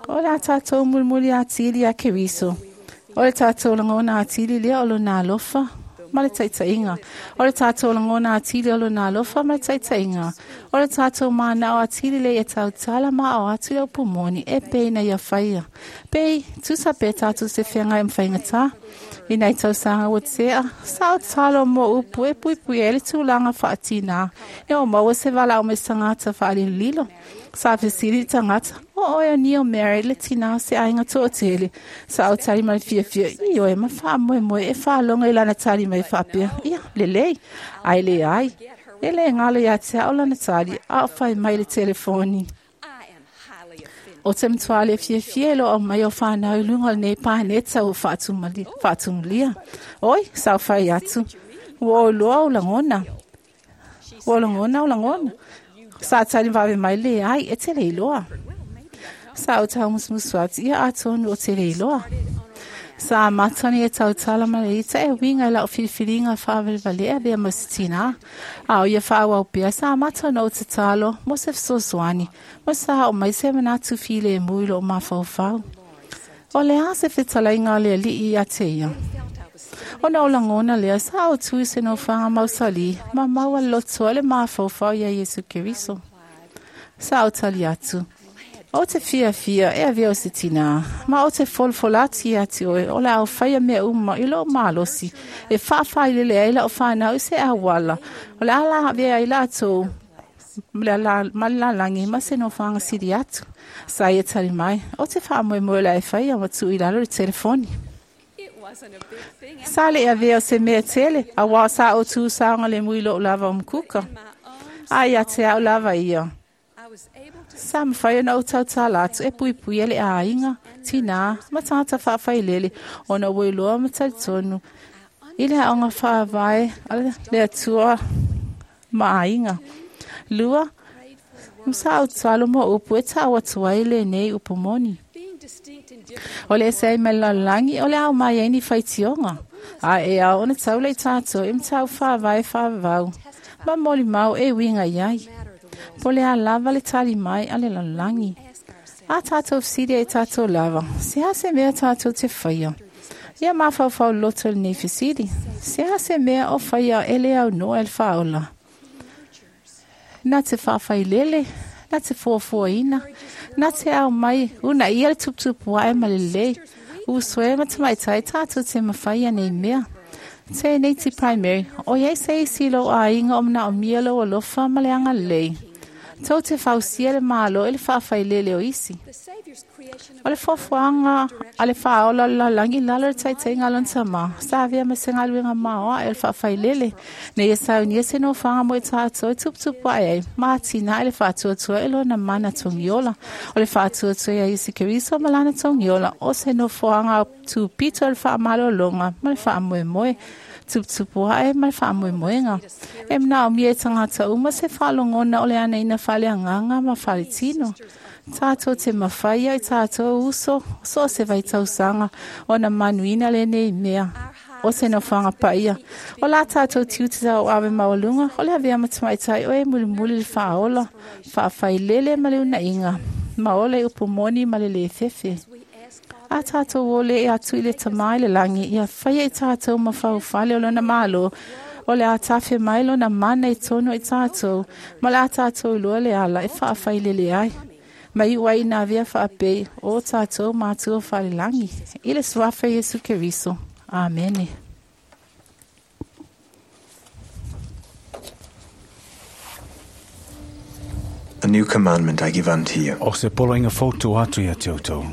O le a tatou mulimuli atili ia Keriso. O le tatou lagona atili lea o lona alofa ma le taitaiga. O le tatou lagona atili o lona alofa ma le taitaiga. O le tatou manao atili lea ia tautala ma ao atu le upu moni e pei na ia faia. Pei, tusa pe tatou se feagai ma faigata. I nai tausaga ua tea, sa ou tatalo mo upu e puipui ai le tulaga faatinā ina ua maua se valaau mai se tagata faalilolilo. Sa fesili le tagata, O oe o Neil Mary, le tinā o se aiga toatele. Sa ou tali mai le fiafia, Ioe, ma faamoemoe e faalogo i lana tali mai faapea, Ia, lelei. Ae leai. E le galo ia te au lana tali, a o fai mai le telefoni. O te matua le fiafia e lo aumai o whānau i lunga o lenei paneta ua faatumulia. Oi, sa ou fai atu. Ua ou iloa ou lagona. Ua ou lagona ou lagona. Sa tali vave mai, leai, e te le iloa. Sa ou taumusumusu atu, ia atonu o te le iloa. Sa amata ona ia tautala ma le ita e uiga i lau filifiliga faavalevalea avea ma se tinā. A o ia faaauau pea, sa amata ona ou tatalo mo se fesoasoani, ma sa oo mai se manatu filemu i lou mafaufau. O le a se fetalaiga a le Alii ia te ia? Ona ou lagona lea, sa ou tu i se nofoaga mausali ma maua le loto ai le mafaufau iā Iesu Keriso. Sa ou tali atu, Ou te fiafia e avea o se tinā, ma ou te folafola atu ia te oe o le a ou faia mea uma i lou malosi e faafaailele ai lau fanau i se auala o le a lavea ai latou ma le lalagi ma se nofoaga sili atu. Sa ia tali mai, Ou te faamoemoe o le a e faia ma tuu i lalo le telefoni. Sa le avea o se mea tele, auā sa ou tu saogalemu i lou lava o mukuka. A ia te au lava ia. Sa mafai ona ou tautala atu e puipuia le aiga, tinā, ma tagata faafailele ona ua iloa ma talitonu i le aoga faavae a le Atua ma aiga. Lua, sa ou tatalo mo upu e tau atu ai lenei upu moni. O le ese ai mai le lalolagi, o le ao mai ai ni faitioga, a e ao ona taula i tatou i mataupu faavae faavavau ma molimau e uiga i ai. Po o le a lava le tali mai a le lalolagi. A tatou fesili ai tatou lava, se a se mea tatou te faia? Ia mafaufau loto i lenei fesili, se a se mea o faia e le aunoa e le faaola? Na te faafailele, na te fuafuaina, na te ao mai, uunaia le tuputupu ae ma le lelei. Uso e ma tamaitai tatou te mafaia nei mea. Tēnei te Primary, ʻoiai se isi i lou aiga o manaomia lou alofa ma le agalelei. Tou te fausia le Malo i le faafailele o isi. O le fuafuaga a le faaola o le lalolagi i lalo o le taitaiga a lona tamā, sa avea ma se galuega maoae o le faafailele, ina ia saunia se nofoaga mo i tatou e tuputupu ae ai, ma atinae le faatuatua i lona mana togiola. O le faatuatua ia Iesu Keriso ma lana togiola, o se nofoaga tupito o le faamalologa ma le faamoemoe, tuputupu ae ma le faamoemoega. E manaomia e tagata uma se faalogona o le anaina faaleagaga ma faletino. Tātou te mawhai ai tātou uso, so se vai tausaga, ona manuina lenei mea. O se nofoaga paia. O la tātou tiute tau ave maualuga, o le avea ma tamaitai o e mulimuli le faaola, faafailele ma le unaiga, ma ola i upu moni ma le lē fefe. A tātou ole e atu i le tamā i le lagi, ia faia i tātou ma faufale o lona malo, o le a tafe mai lona mana i tonu i tātou, ma le a tātou iloa le ala e faafailele ai. Mai iu ai ina avea faapei o tātou matua falelagi. I le suafa Iesu Keriso. Amene. A new commandment I give unto you. O se poloaiga fou tuu atu ia te outou.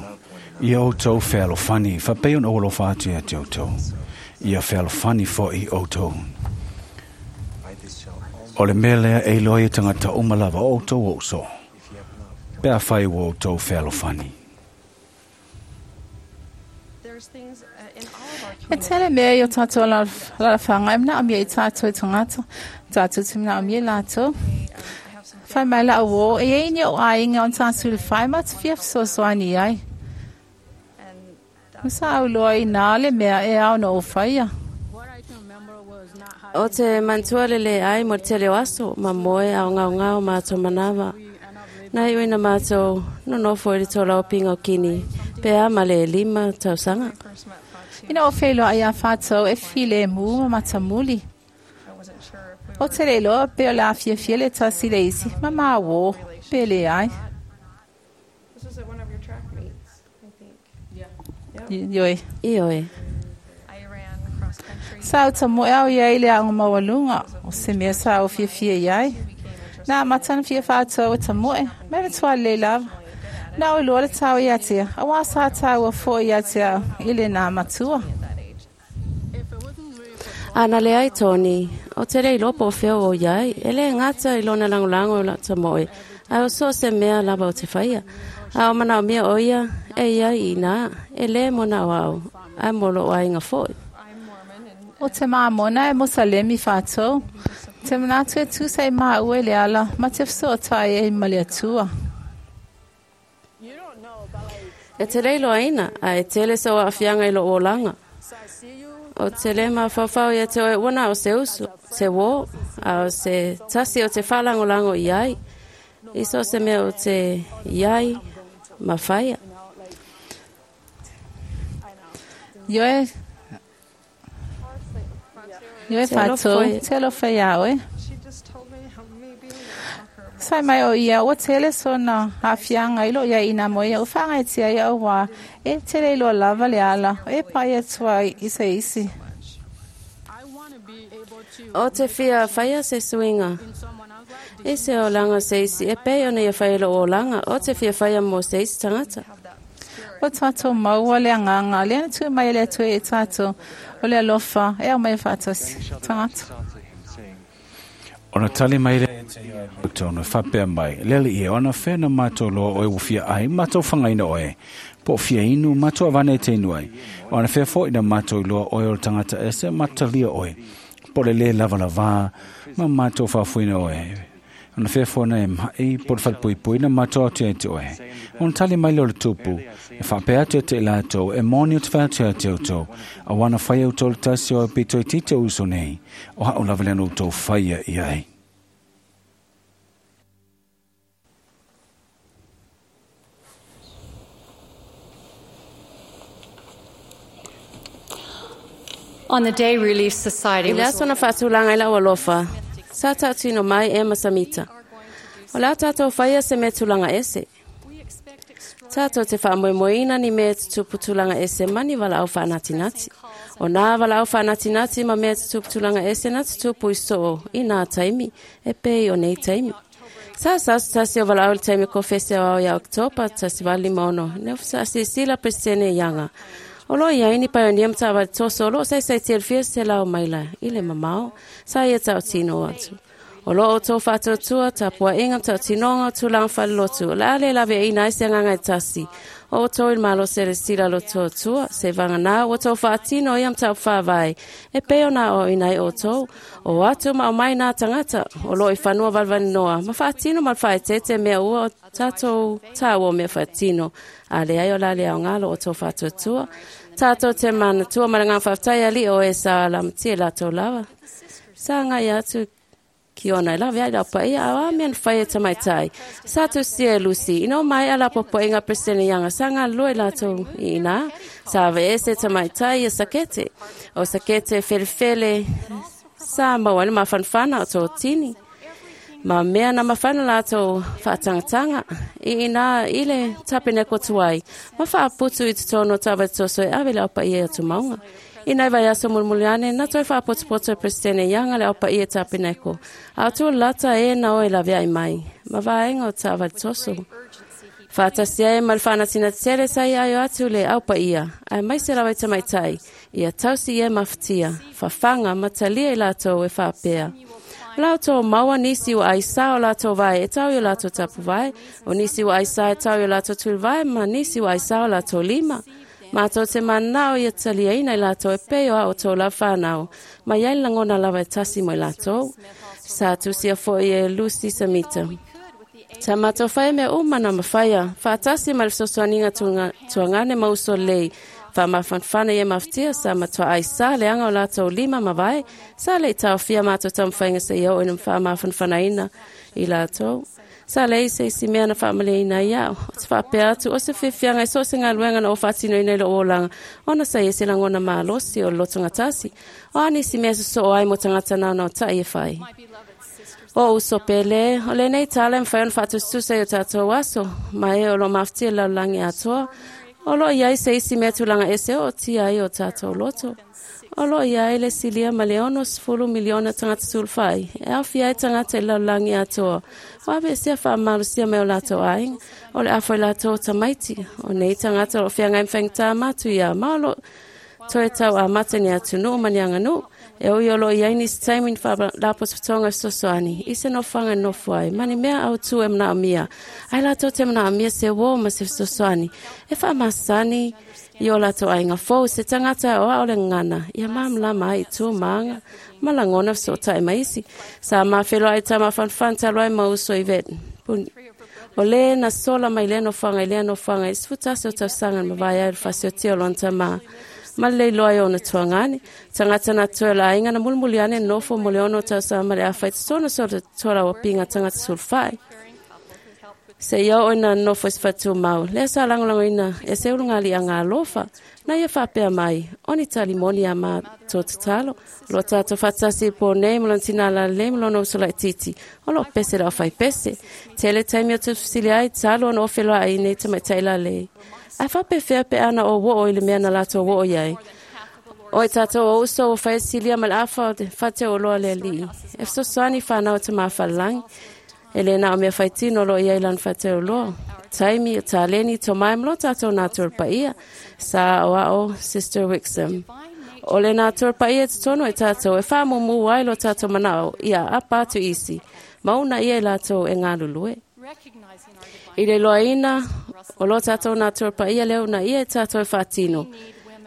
Ia outou fealofani, faapei ona ou alofa atu ia te outou. Ia fealofani foʻi outou. O le mea lea e iloa ai e tagata uma lava o outou o uso. Pe afai ua outou fealofani. E tele mea i o tātou alalafaga e manaomia i tātou e tagata. Tātou te manaomia i latou. Fai mai lau uō, e iai ni ou aiga ona tatou i le fai ma te fia fesoasoani ai. Ma sa auloa i nā le mea e ao na ou faia. O te manatua le leai mo le tele o aso, ma moe a o gaogao matou manava. Na iu ina matou nonofo i le tolaupinga o kini, pe a ma le 5 tausaga. Ina o feiloai iā Fatou e filemu ma matamuli. O te le iloa pe o le a fiafia le tasi le isi, ma māuō, pe leai. Ioe. Ioe. Sa ou tamoe au iai i le aoga maualuga, o se mea sa ou fiafia iai. Na amata ona fia Fatou e tamoe, ma e matua lelei lava. Na ou iloa le tau ia te ia, auā sa taua foʻi ia te au i lenā matua. A na leai Tony, o te le iloa po o fea ua ou iai, e le gata i lona lagolago i lau tamoe, ae o so o se mea lava o te faia. A o manaomia o ia, e iai i inā, e lē mo na o au, ae mo lou aiga foʻi. O te Māmona e Mosalemi Fatou, te manatu e tusa i māua i le ala ma te fesootai ai ma le Atua. E te le iloaina, a e tele sou aafiaga i lou olaga. O te lē mafaufau ia te oe ua na o se uso, se uō, a o se tasi o te faalagolago i ai, i so o se mea o te iai ma faia. Ioe, Ioe Fatou, te alofa iā oe. Sai mai o ia, ua tele sona aafiaga i loo iai ina mo ia, ua faagaetia ai auā e tele iloa lava le ala e pai atu ai i se isi. O te fia faia se suiga i se olaga o se isi e pei ona ia fai i lou olaga, o te fia faia mo se isi tagata. Ua tātou maua le agaga lea na tui mai e le Atua ia i tātou, o le alofa e aumai faatasi tagata. Ona tali mai lea ia te ia e matou na faapea mai, Le alii e, ona fea na matou loa oe ua fia ai, matou fagaina oe, po o fia inu, matou avane e te inu ai. Ona fea foʻi na matou iloa oe o le tagata ese, matalia oe, po o le lē lavalavā, ma matou faafoeina oe. Ona fea foʻi na e maʻi, po o le falepuipui, na matou atu ia te oe. Ona tali mai lea o le tupu, e faapea atu ia te i latou, E moni ou te fai atu ia te outou, auā na faia outou le tasi o aupito itiiti o uso nei, o haʻu lava lea na outou faia i ai. On the day Relief Society I le was aso na faatulaga ai lau alofa, sa tautino mai e ma Samita. O le a tātou faia se mea tulaga ese. Tātou te faamoemoeina ni mea tutupu tulaga ese ma ni valaau faanatinati. O nā valaau faanatinati ma mea tutupu tulaga ese na tutupu i soo i nā taimi, e pei o nei taimi. Sa sa sa se o valaau i le taimi konfesi aoao ia Oketopa 1856. Ne sa silasila Peresetene Ianga. O lo o i ai ni paionia ma taavale toso o lo o saisaitia i le fia selau maila i le mamao, sa ia tautino atu. O lo o outou faatuatua, tapuaiga ma tautinoga o tulaga faalelotu, o le a le laveaiina ai se agaga e tasi o outou i le malosi a le sila lotoatua, seiavagana ua outou faatino ia mataupu faavae e pei ona aoaoina ai outou, o atu ma aumai nā tagata o lo o i fanua valivalinoa ma faatino ma le faaeteete mea ua tatou taua o mea faatino, a leai o le a le aoga lo outou faatuatua. Tatou te manatua ma le agaga faafetai Alii o e sa lamatia i latou lava. Sa agai atu ki ona e lawe ai lau paia a o a mea na fai e tamaitai. Sa tusia e Lucy, ina ua maea la popoʻiga a Peresetene Ianga, sa galulue latou i ina, sa aveese e tamaitai ia Sakete. O Sakete e felefele, sa maua ai le mafanafana o totini. Ma mea na mafai ona latou faatagataga i ina i le tapeneko tuai, ma faaputu i totonu o taavale e ave i le au paia i atumauga. I nai vaiaso mulimuli ane, na toe faapotopoto e Peresetene Ianga le au paia i tapeneko, a o tulata e na o e laveai mai, ma vaega o taavale toso. Faatasi ai ma le faanatinati tele sa ia aio atu le au paia, aemaise lava i tamaitai, ia tausi ia e mafatia, fafaga ma talia i latou e faapea. O la outou maua nisi ua aisā o latou vae e tau i o latou tapuvae, o nisi ua aisā e tau i o latou tulivae, ma nisi ua aisā o latou lima. Matou te mananao ia taliaina i latou e pei o a outou lava whanau, ma i ai le lagona lava e tasi mo i latou. Sa tusia foi e Lucy Samita. Sa matou whai mea uma na mawhaia, whaatasi ma le fesoasoaniga tuagane ma uso lelei, faamafanafana ia mafatia sa matua aisā leaga o latou lima ma vae, sa le i taofia matou taumafaiga seia oo ina faamafanafanaina i latou. Sa leai se isi mea na faamaliaina ai au. Ou te faapea atu, o se fiafiaga i so o se galuega na ou faatinoina i lou olaga, ona sa i ai se lagona malosi o le lotogatasi. O a nisi mea e sosoo ai mo tagata naonaotai e fai? O uso pele, o lenei tala e mafai ona faatusatusa i o tatou aso, ma e o lo o mafatia i le lalolagi atoa. O lo o i ai se isi mea tulaga ese o ootia ai o tatou loto. O lo o i ai le silia ma le 60 miliona tagata sulufai, e aofia ai tagata i le lalolagi atoa, ua aveesea faamalosia mai o latou aiga, o le afa i latou o tamaiti. O nei tagata o lo o feagai ma faigata matuia, ma o lo o toe tau amata ni atunuu ma ni aganuu. E ui o lo o i ai nisi taimi ni faalapotopotoga fesoasoani i se nofoaga e nofo ai, ma ni mea autū e manaomia ai latou te manaomia se uō ma se fesoasoani e faamasani i o latou aiga fou, se tagata o ao le gagana ia malamalama ai i tu ma aga ma lagona fesootai ma isi. Sa mafeiloai tama fanafana talu ai ma uso i vet puni. O le na sola mai lea nofoaga i lea nofoaga i 11 o tausaga na mavae ai o le faasiotia o lona tamā ma le leiloa i ona tuagane. Tagata na toe o le aiga na mulimuli ane nofo mo le 6 tausaga ma le afa i totonu o se tualauapiga tagata sulufai. Seia oo ina nofo i se faletumau, lea sa lagolagoina e se ulugalii alofa. Na ia faapea mai, o ni tali moni a matou tatalo. O lo o tatou faatasi i le po nei ma lona tina lalelei ma lona uso laitiiti, o lo o pese le aufaipese. Tele taimi ou te fesili ai, talu ona ou feloai i nei tamaitai lalelei. Ae faapefea pe ana ou oo i le mea na latou oo i ai? O i tatou o uso ua fai silia ma le afa o te fateuoloa le alii. E fesoasoani i fanau o tamafalelagi. E le na o mea faitino o lo o i ai lana fateuoloa. Taimi, o taleni, tomai ma lo tatou natura paia. Sa aoao Sister Wixom. O le natura paia i totonu o i tatou e faamumu ai lo tatou manao ia apa atu isi, ma una ia i latou e galulue. I le iloaina o lo tatou natura paia lea una ia i tatou e faatino.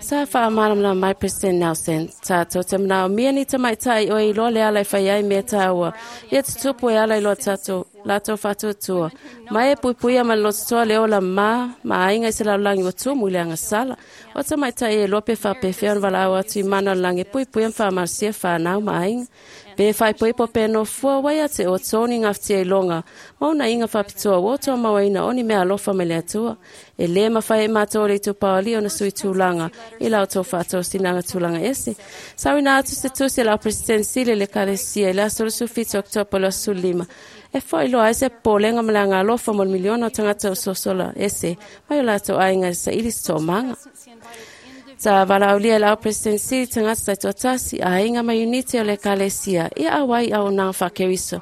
Sa faamalamalama mai President Nelson, tatou te manaomia ni tamaitai o e iloa le ala e fai ai mea taua, ia tutupu e ala i lo tatou, latou faatuatua. Ma e puipuia ma le lototoa le ola ma aiga i se lalolagi ua tumu i le agasala. O tamaitai e iloa pe faapefea ona valaau atu i mana o le lagi e puipuia ma faamalosia whanau ma aiga. Pe faaipoipo pe nofua wai a te o tōni ngafatia i longa, ma ona inga faapitoa ua toa mauaina o ni mea alofa mai le Atua. E lē mafai e mātou o le itupaoli ona sui tulaga i la outou faatosinaga tulaga ese. Sauina atu se tusi a lau President Sili i le Ekalesia i le aso 27 Oketopa 2015, e faailoa ai se popolega ma le aga alofa mo le miliona o tagata o sosola ese mai o latou aiga e saili se toomaga. Sa valaaulia e lau President Sili tagata taitoatasi, aiga ma iunite o le Ekalesia ia auai i auaunaga faa-Keriso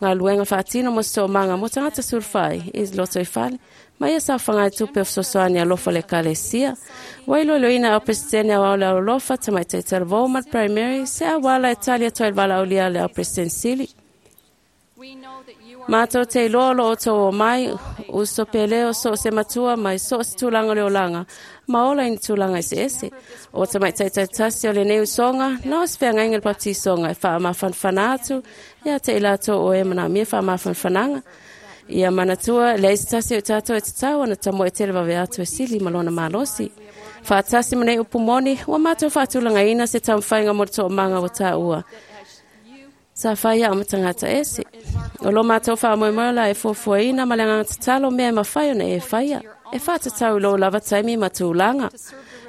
Galuega faatino mo se toomaga mo tagata sulufai i lotoifale ma ia saofaga e tupe o fesoasoani alofa le ekalesia. Ua iloiloina au Peresetene aoao le Alolofa, Tamaitai Talavou ma le Primary, se auala e tali atu ai le valaaulia a le au Peresetene Sili. Matou te iloa o lo o outou o mai, uso pele o so o se matua mai so o se tulaga o le olaga, ma ola i ni tulaga eseese. O tamaitai taitasi o lenei usoga, na o se feagaiga i le baptisoga e faamafanafana atu ia te i latou o e manaomia faamafanafanaga. Ia manatua, leai se tasi o i tatou e tatau ona tamoe tele vave atu e sili ma lona malosi. Faatasi ma nei upu moni, ua matou faatulagaina se taumafaiga mo le toomaga ua taua. Sa fai au ma tagata ese. O lo matou faamoemoe la e fuafuaina ma le agaga tatalo mea e mafai ona e faia. E faatatau i lou lava taimi ma tulaga.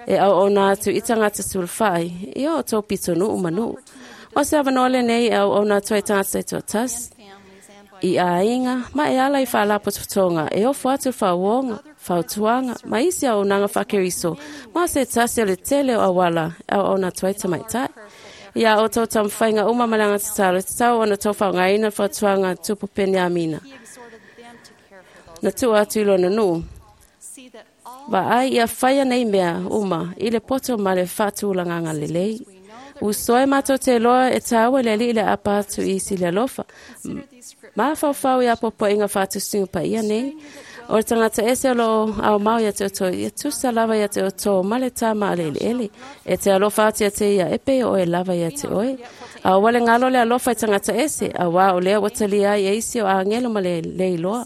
E auauna atu i tagata sulufai, i o outou pitonuu ma nuu. O se avanoa lenei e auauna atu ai tagata taitoatasi i aiga ma e ala i faalapotopotoga e ofo atu le faauoga, fautuaga ma isi auaunaga faakeriso ma o se tasi o le tele o auala e auauna atu ai tamaitai. Ia outou taumafaiga uma ma le agaga tatalo, e tatau ona outou faaaogaina le fautuaga a Tupu Peniamina na tuu atu i lona nuu. Vaai ia faia nei mea uma i le poto ma le faatulagaga lelei. Usoe matou te iloa e taua i le Alii le aapa atu i isi le alofa. Mafaufau i apoapoaiga faatusiga paia nei. O le tagata ese o loo aomao ia te outou, ia tusa lava ia te outou ma le tama a le eleele. E te alofa atu ia te ia, e pei o oe lava ia te oe. A ua le galo le alofa i tagata ese, auā o lea ua talia ai e isi o agelo ma le leiloa.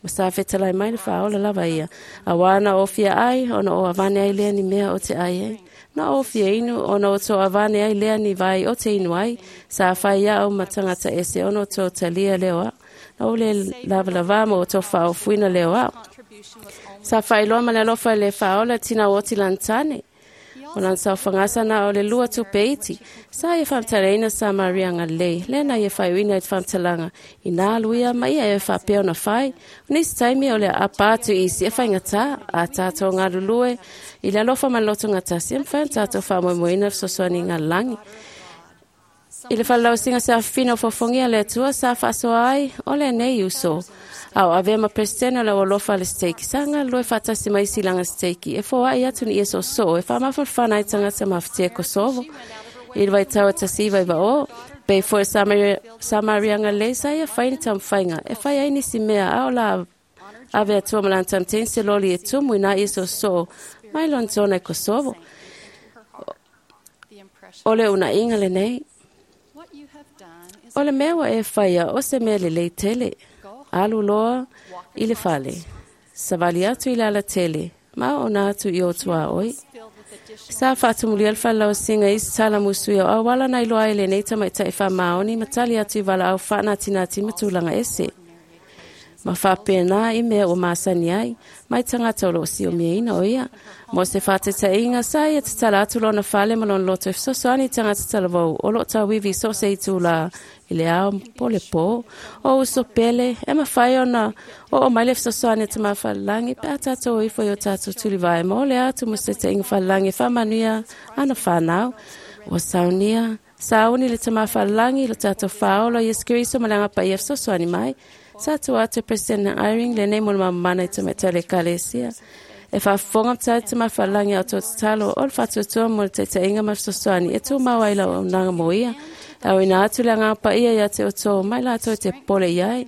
Ma sa fetalai mai le faaola lava ia. Auā na o fia ai, ona o avane ai lea ni mea o te ai ai. Na o fia inu, ona o tō avane ai lea ni vai o te inu ai. Sa fai au ma tagata ese ona o tō talia leo au. Na o le lava ma o tō whaofuina leo au. Sa whailoa ma le alofa i le faaola tina o oti lantane. O lana saofagasa na o le lua tupe iti. Sa ia faamatalaina sa Maria Galilei, lea na ia faaiuina i le faamatalaga, inā alu ia ma ia e faapea ona fai. O nisi taimi o le aapa atu i isi e faigata, a tatou galulue i le alofa ma le lotogatasi, e mafai ona tatou faamoemoeina le fesoasoaniga a le lagi. I le falelausiga se afafina o fofogia le Atua sa faasoa ai o lenei uso. A o avea ma Peresetene o le Aualofa a le Steiki, sa galulue faatasi ma isi laga steiki e foai atu ni ia soosoo e faamafanafana ai tagata mafatia Kosovo. I le vaitau e 1990, pei foi le Samaria Galilei sa ia fai ni taumafaiga e fai ai nisi mea a o la ave atua ma lana tamateni se loli e tumu i nā ia soosoo mai lona tona i Kosovo. O le unaiga lenei. O le mea ua e faia o se mea lelei tele. Alu loa i le fale. Savali atu i le alatele, ma ona atu i o tuaoi. Sa faatumulia le falelausiga i isi tala musuia o auala na iloa ai lenei tamaitai faamaoni ma tali atu i valaau faanatinati ma tulaga ese. Ma faapena i mea ua masani ai, mai tagata o loo siomiaina o ia. Mo se faataitaiga, sa ia tatala atu lona fale ma lona loto e fesoasoani i tagata talavou o loo tauivi i so o se itulā i le ao po le pō. O uso pele, e mafai ona oo mai le fesoasoani a Tama Falelagi pe a tatou o ifo i o tatou tulivae ma o le atu mo se taitaiga falelagi e faamanuia ana whanau. Ua saunia, sauni le Tama Falelagi i lo tatou faaola Iesu Keriso ma le agaga paia e fesoasoani mai. Sa tua atu e President Eyring lenei mo le mamana i tamaitai o le ekalesia. E faafofoga ma tali Tama Falelagi a outou tatalo o le faatuatua mo le taitaiga ma le fesoasoani e tumau ai lau auaunaga mo ia. E auina atu le agaga paia ia te outou mai latou e te popole i ai.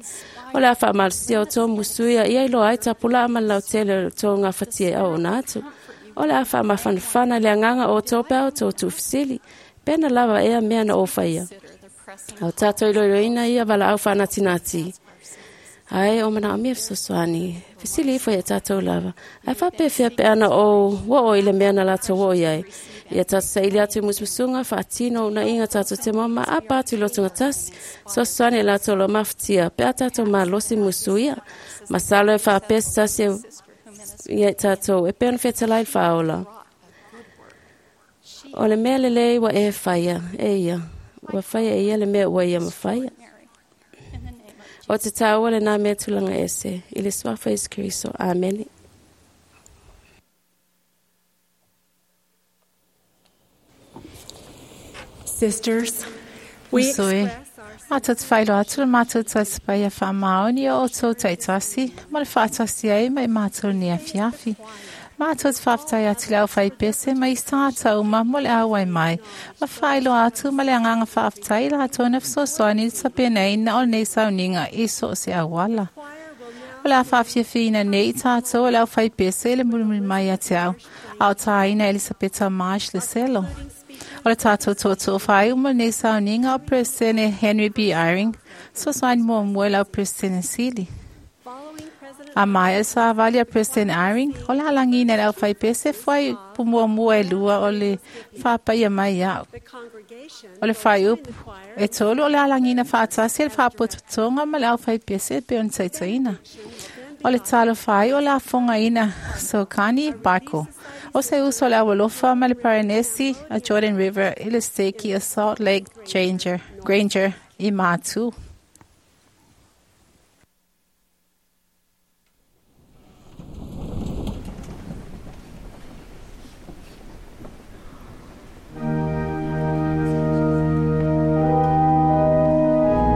O le a faamalosia outou musuia ia iloa ai tapulaa ma le lautele o le outou gafatia e auauna atu. O le a faamafanafana le agaga o outou pe a outou tuufesili. Pena lava ea mea na ou faia. Au tatou iloiloina ia valaau faanatinati. Ai o manaomia fesoasoani. Fesili ifo ia tatou lava. Ae faapefea pe ana ou oo i le mea na latou oo i ai. Ia tatou saili atu i musumusuga, faatino unaiga tatou te moa ma aapa atu i lotogatasi. Fesoasoani e latou o lo mafatia pe a tatou malosi musuia. Masalo e faapea se tasi ia i tatou e pei ona fetalai le faaola. O le mea lelei ua e faia e ia. Ua faia e ia le mea ua ia mafaia. O te taua lenā mea tulaga ese. I le suafa o Iesu Keriso. Amene. Sisters, we Uso e. express our Matou te faailoa atu le matou tausipaia faamaoni o outou taitasi ma le faatasi ai ma i matou nei afiafi. Matou te faafetai atu i le aufaipese ma isi tagata uma mo le auai mai ma faailoa atu ma le agaga faafetai i latou na fesoasoani i le tapenaina o lenei sauniga i so o se auala. O le a faafiafiaina nei i tatou e le aufaipese i le mulimuli mai ia te au, a o tāina Elisapeta Marsh le selo. O le tatou tootoo faaiu mo lenei sauniga o Peresetene Henry B. Eyring, fesoasoani muamua i lau Peresetene Sili. A maea le savali a President Eyring, o le alagiina i le aufaipese fuaiupu muamua e lua o le faapaia mai au. O le fuaiupu e tolu o le alagiina faatasi e le faapotopotoga ma le aufaipese e pei ona taitaiina. O le talo faaiu o le afogaina Sokani Baiko. O se uso o le aualofa ma le Parenesi a Jordan River i le steki a Salt Lake Granger i Matu. Follow me, the Savior.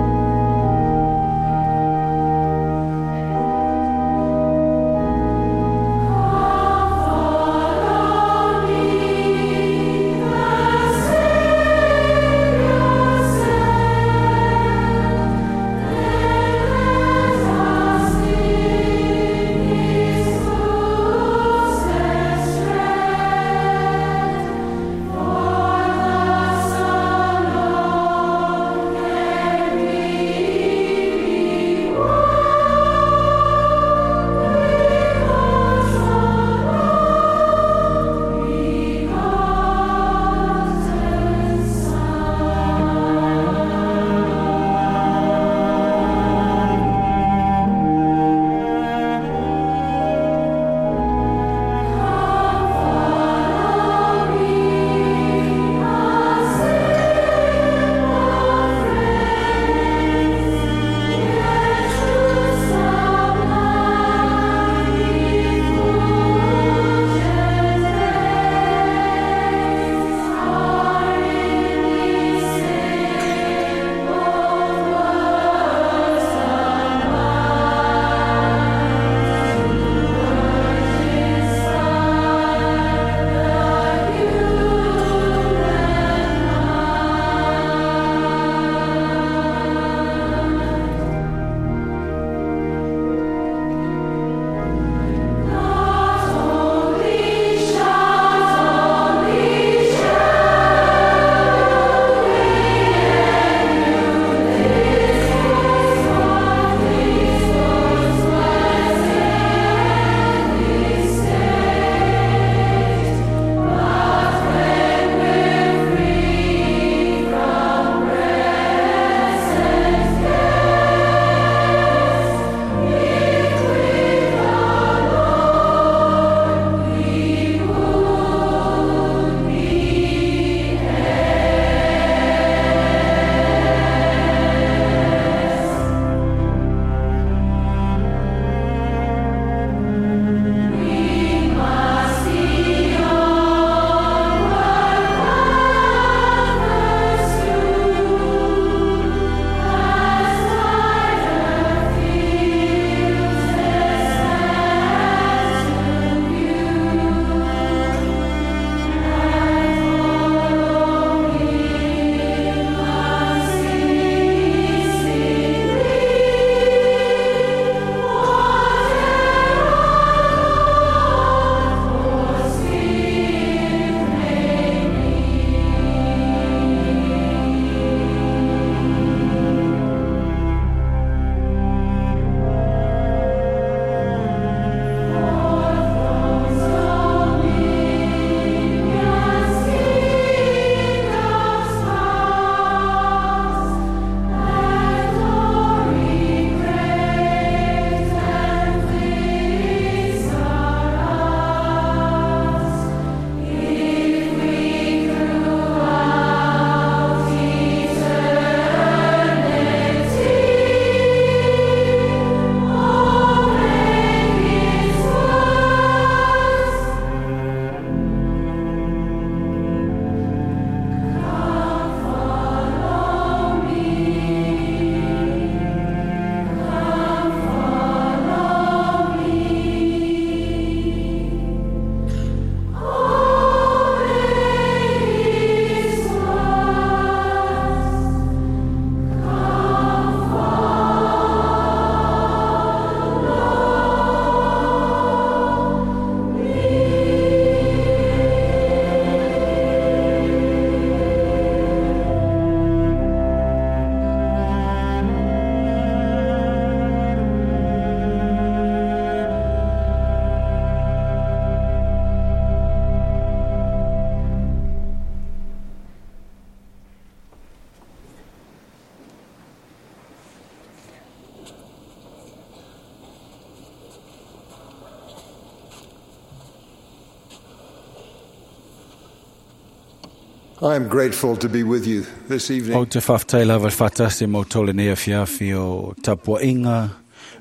I am grateful to be with you this evening. O te whawhtai lava whatasi mo tole nei awhiawhi o tapuainga,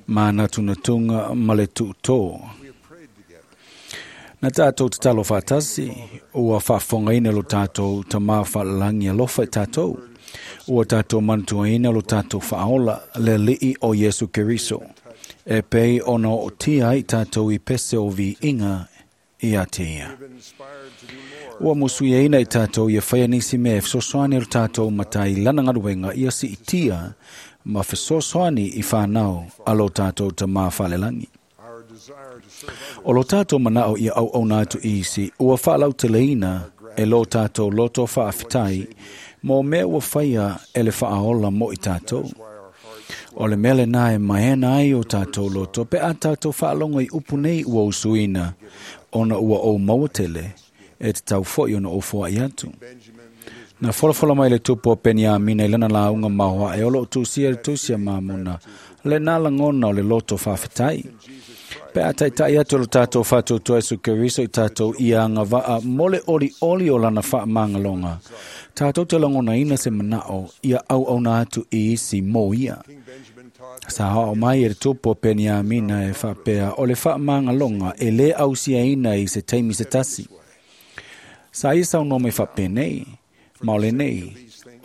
mana tunatunga, ma le tuto. Na tātou te talo whatasi, ua whawhongaina lo tātou ta mā whalalangi alofa i tātou. Ua tātou mantuaina lo tātou whaola le lii o Yesu Keriso. E pei ona o tia i tātou i pese o vi inga i a te ia. Ua musuiaina i tātou ia whaia nisi mea e fesoasoani lo tātou matai lana ngaruenga ia si i tia ma fesoasoani i whanau a lo tātou ta mā whalelangi. O lo tātou manao ia au au nātu isi, ua whaalau te leina e lo tātou loto whaawhitai, mō mea ua whaia e le whaaola mo i tātou. O le mele nā e maena ai o tātou loto, pe a tātou whaalongo i upu nei ua usuina, ona ua o maua tele, e te tau foi ona o fua i atu. Na folafola mai le tupu o Peniamina i lana launga mahoa e olo o tusia le tusia mamona, le nā langona o le loto whawhitai. Pe a taitai atu lo tātou whātautua Yesu Keriso i tātou ia anga waa mole oli oli o lana wha mangalonga. Tātou te langona ina se manao ia au au nā atu i isi mō ia. Sa hao mai e te tupu o Peniamina e whapea o le wha mangalonga e le au sia ina i se taimi se tasi. Sa ia sau no me whape nei, maole nei,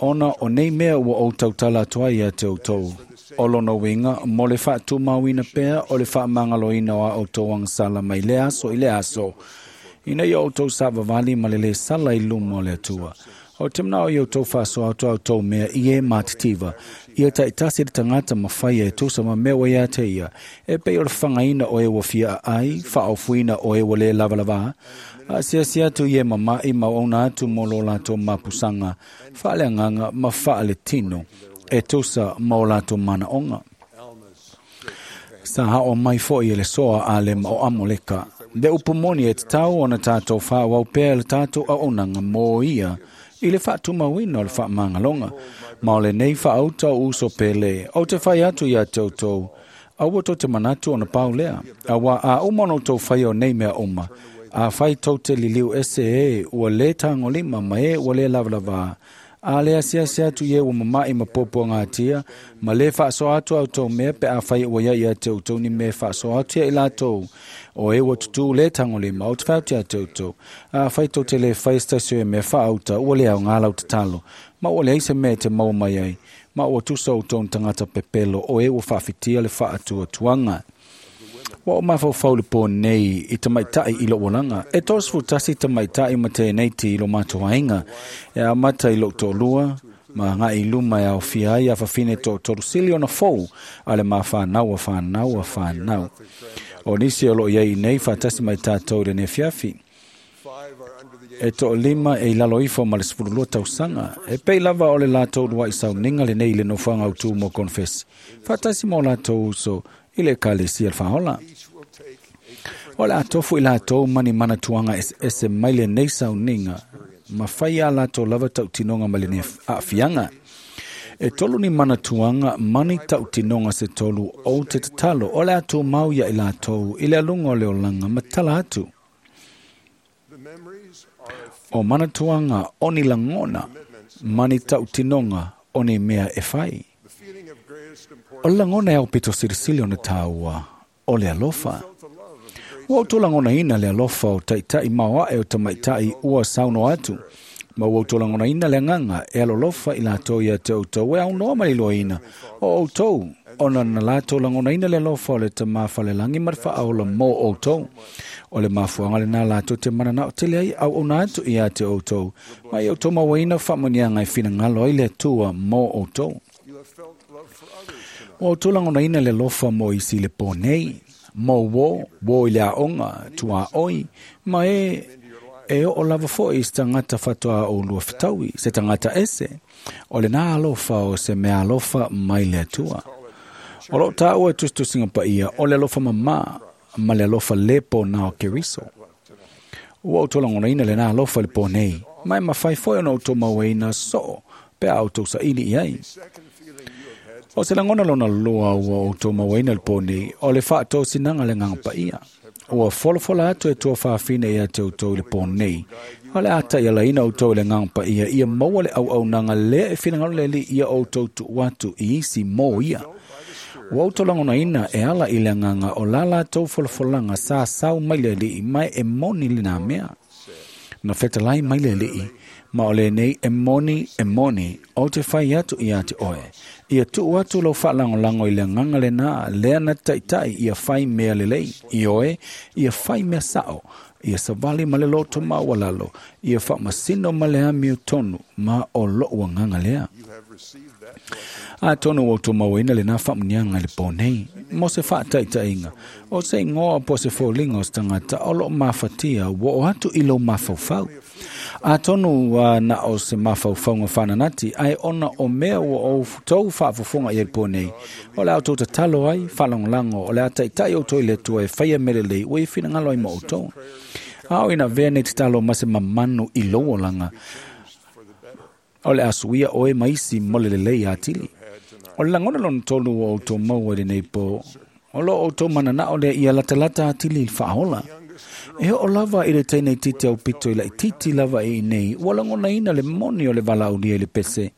ona o nei mea ua o tautala atu ai ia te outou. O lona winga, mo le whaatumauina pea o le whaamangaloina o a outou angsala mai le aso i le aso. Ina ia outou savavali ma le le sala i luma o le Atua. O te mnao i outou whaasoa atu outou mea i e mātitiva. Ia taitasi le tangata mawhaia e tusa ma mea wa ia te ia. E pei o le whangaina o e wafia ai, whaofuina o e wale lavalava. A siasi atu i e mamai ma ona atu mo lo lato mapusanga. Whaaleanganga ma whaale tino. E tusa ma o lato mana onga. Sa hao mai foi e le soa a le ma o amoleka. Le upumoni e te tau ona tātou whaawau pea le tātou a onanga mō ia. I le whaatumauina o le whaamangalonga. Ma o le nei whaauta o uso pele. O te whai atu ia te outou. Aua tō te manatu ona pau lea. Awa a uma no tō whai o nei mea uma. A whai tō te liliu ese e ua le tāngolima ma e ua le lavalava. A le asiasi atu ie ua mamai ma popo ngā tia, ma le whaaso atu au tō mea pe a whai ua ia ia te outou ni me whaaso atu ia i lātou. O e ua tutu le tangolima o te whauti a te outou. A whai tō te le whai stasio e mea whaauta ua le au ngā lau tatalo. Ma ua le aise mea te maua mai ai. Ma ua tusa o tōn tangata pepelo o e ua whawhitia le whaatua tuanga. Wa o mawhau le pō nei i te maitai i lo walanga. E tōsfu tasi te maitai ma tēnei ti i lo mātua inga. E a mata i lo tōlua, ma ngā i luma e au fia ai a whawhine tō torusili ona fōu a le mā whānau a whānau a whānau. O nisi o lo iai nei whātasi mai tātou le ne fiafi. E tō lima e lalo ifo ma le sefululua tausanga. E pei lava o le lātou lua i sauninga le nei le nofuanga au tū mo konfesi. Whātasi mō lātou uso i le kalesi al whaola. O le atofu i lātou mani mana tuanga ese mai le nei sauninga. Ma whai a lātou lava tautinonga ma le nei aafianga. E tolu ni mana tuanga mani tautinonga se tolu o te tatalo. O le atu mau ia i lātou i le alunga o le olanga matala atu. O mana tuanga o ni langona mani tautinonga o ni mea e whai. O langona e au pito sirisili o na tāua o le alofa. Ua auto langona ina le alofa o taitai maoa e o tamaitai ua sauno atu. Ma ua auto langona ina le nganga e alolofa i lātou ia te outou e au noa mai ina. O outou, ona na lātou langona ina le alofa o le tamawhalelangi marwha aola mō outou. O le mafuanga le nā lātou te mana o tele ai au ona atu ia te outou. Ma i outou mawaina whamanianga i whina ngalo ai le atua mō outou. O outou langona ina le alofa mō isi le pō nei. Mō wō, wō i le aonga, tua oi, ma e e o lava foi se tangata whatoa o lua whitaui, se tangata ese. O le nā alofa o se mea alofa mai le atua. O lo tāua tustusinga pa ia, o le alofa mamā, ma le alofa lepo nā o Keriso. Ua o tōlangona ina le nā alofa le pō nei, mai mawhai foi ona o tō maueina soo, pea au tō saili i ai. O se langona lona loa ua o tō maueina le pō nei, o le whaatō sinanga le nganga pa ia. Ua folafola atu e tua whaafine ia te outou le pō nei. O le a ta'ialaina outou i le agaga paia ia maua le auaunaga lea e finagalo le Alii ia outou tuu atu i isi mo ia. Ua outou lagonaina e ala i le agaga o la latou folafolaga sa sau mai le Alii ma e moni lenā mea. Na fetalai mai le Alii, ma o lenei e moni e moni, ou te fai atu ia te oe. Ia tuu atu lou faalagolago i le agaga lenā lea na taʻitaʻi ia fai mea lelei, ioe, ia fai mea saʻo, ia savali ma le loto maualalo, ia faamasino ma le amiotonu, ma o loʻu agaga lea. Atonu ua outou mauaina lenā faamuniaga i le pō nei, mo se faataʻitaʻiga, o se igoa po o se foliga o se tagata o loo mafatia ua oo atu i lou mafaufau. Atonu na o se mafaufauga faananati, ae ona o mea ua outou faafofoga i ai le pō nei, o le a outou tatalo ai, faalagolago, o le a taʻitaʻi outou i le Atua e faia mea lelei ua ia finagalo ai ma outou. A o ina avea nei tatalo ma se mamanu i lou olaga, o le a suia oe ma isi mo le lelei atili. O le lagona lona tolu ua outou maua i lenei pō, o loo outou mananao lea ia latalata atili i le faaola. E oo lava i le teine itiiti aupito i laitiiti lava i inei, ua lagonaina le moni o le valaaulia i le pese.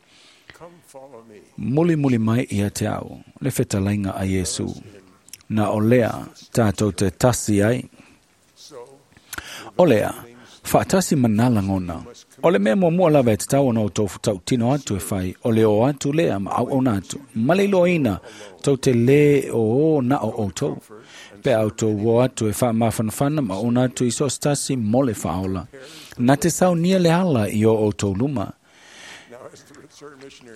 Mulimuli mai ia te au, le fetalaiga a Iesu. Na o lea tatou te tasi ai. O lea, faatasi ma nā lagona. O le mea muamua lava e tatau ona outou tautino atu e fai, o le o atu lea ma auauna atu, ma le iloaina tou te lē o o na o outou. Pe a outou o atu e faamafanafana ma auauna atu i so o se tasi mo le faaola. Na te saunia le ala i o outou luma.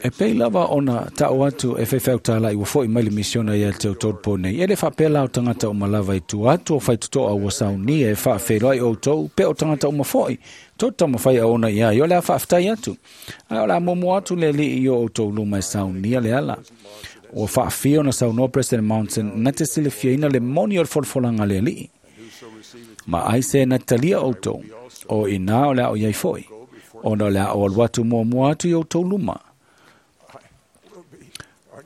E pei lava ona taʻu atu e faifeau tālaʻi ua foʻi mai le misiona ia te outou pō nei. E le faapea la o tagata uma lava i tua atu o faitotoa ua saunia e faafeiloai outou, pe o tagata uma foʻi. Tou taumafai auauna i ai, o le a faafetai atu. Ae o le a muamua atu le Alii i o outou luma e saunia le ala. Ua faafia ona saunoa President Monson na te silafiaina le moni o le folafolaga a le Alii. Ma ai se na talia outou, o inā o le a o iai foʻi, ona o le a o alu atu muamua atu i outou luma.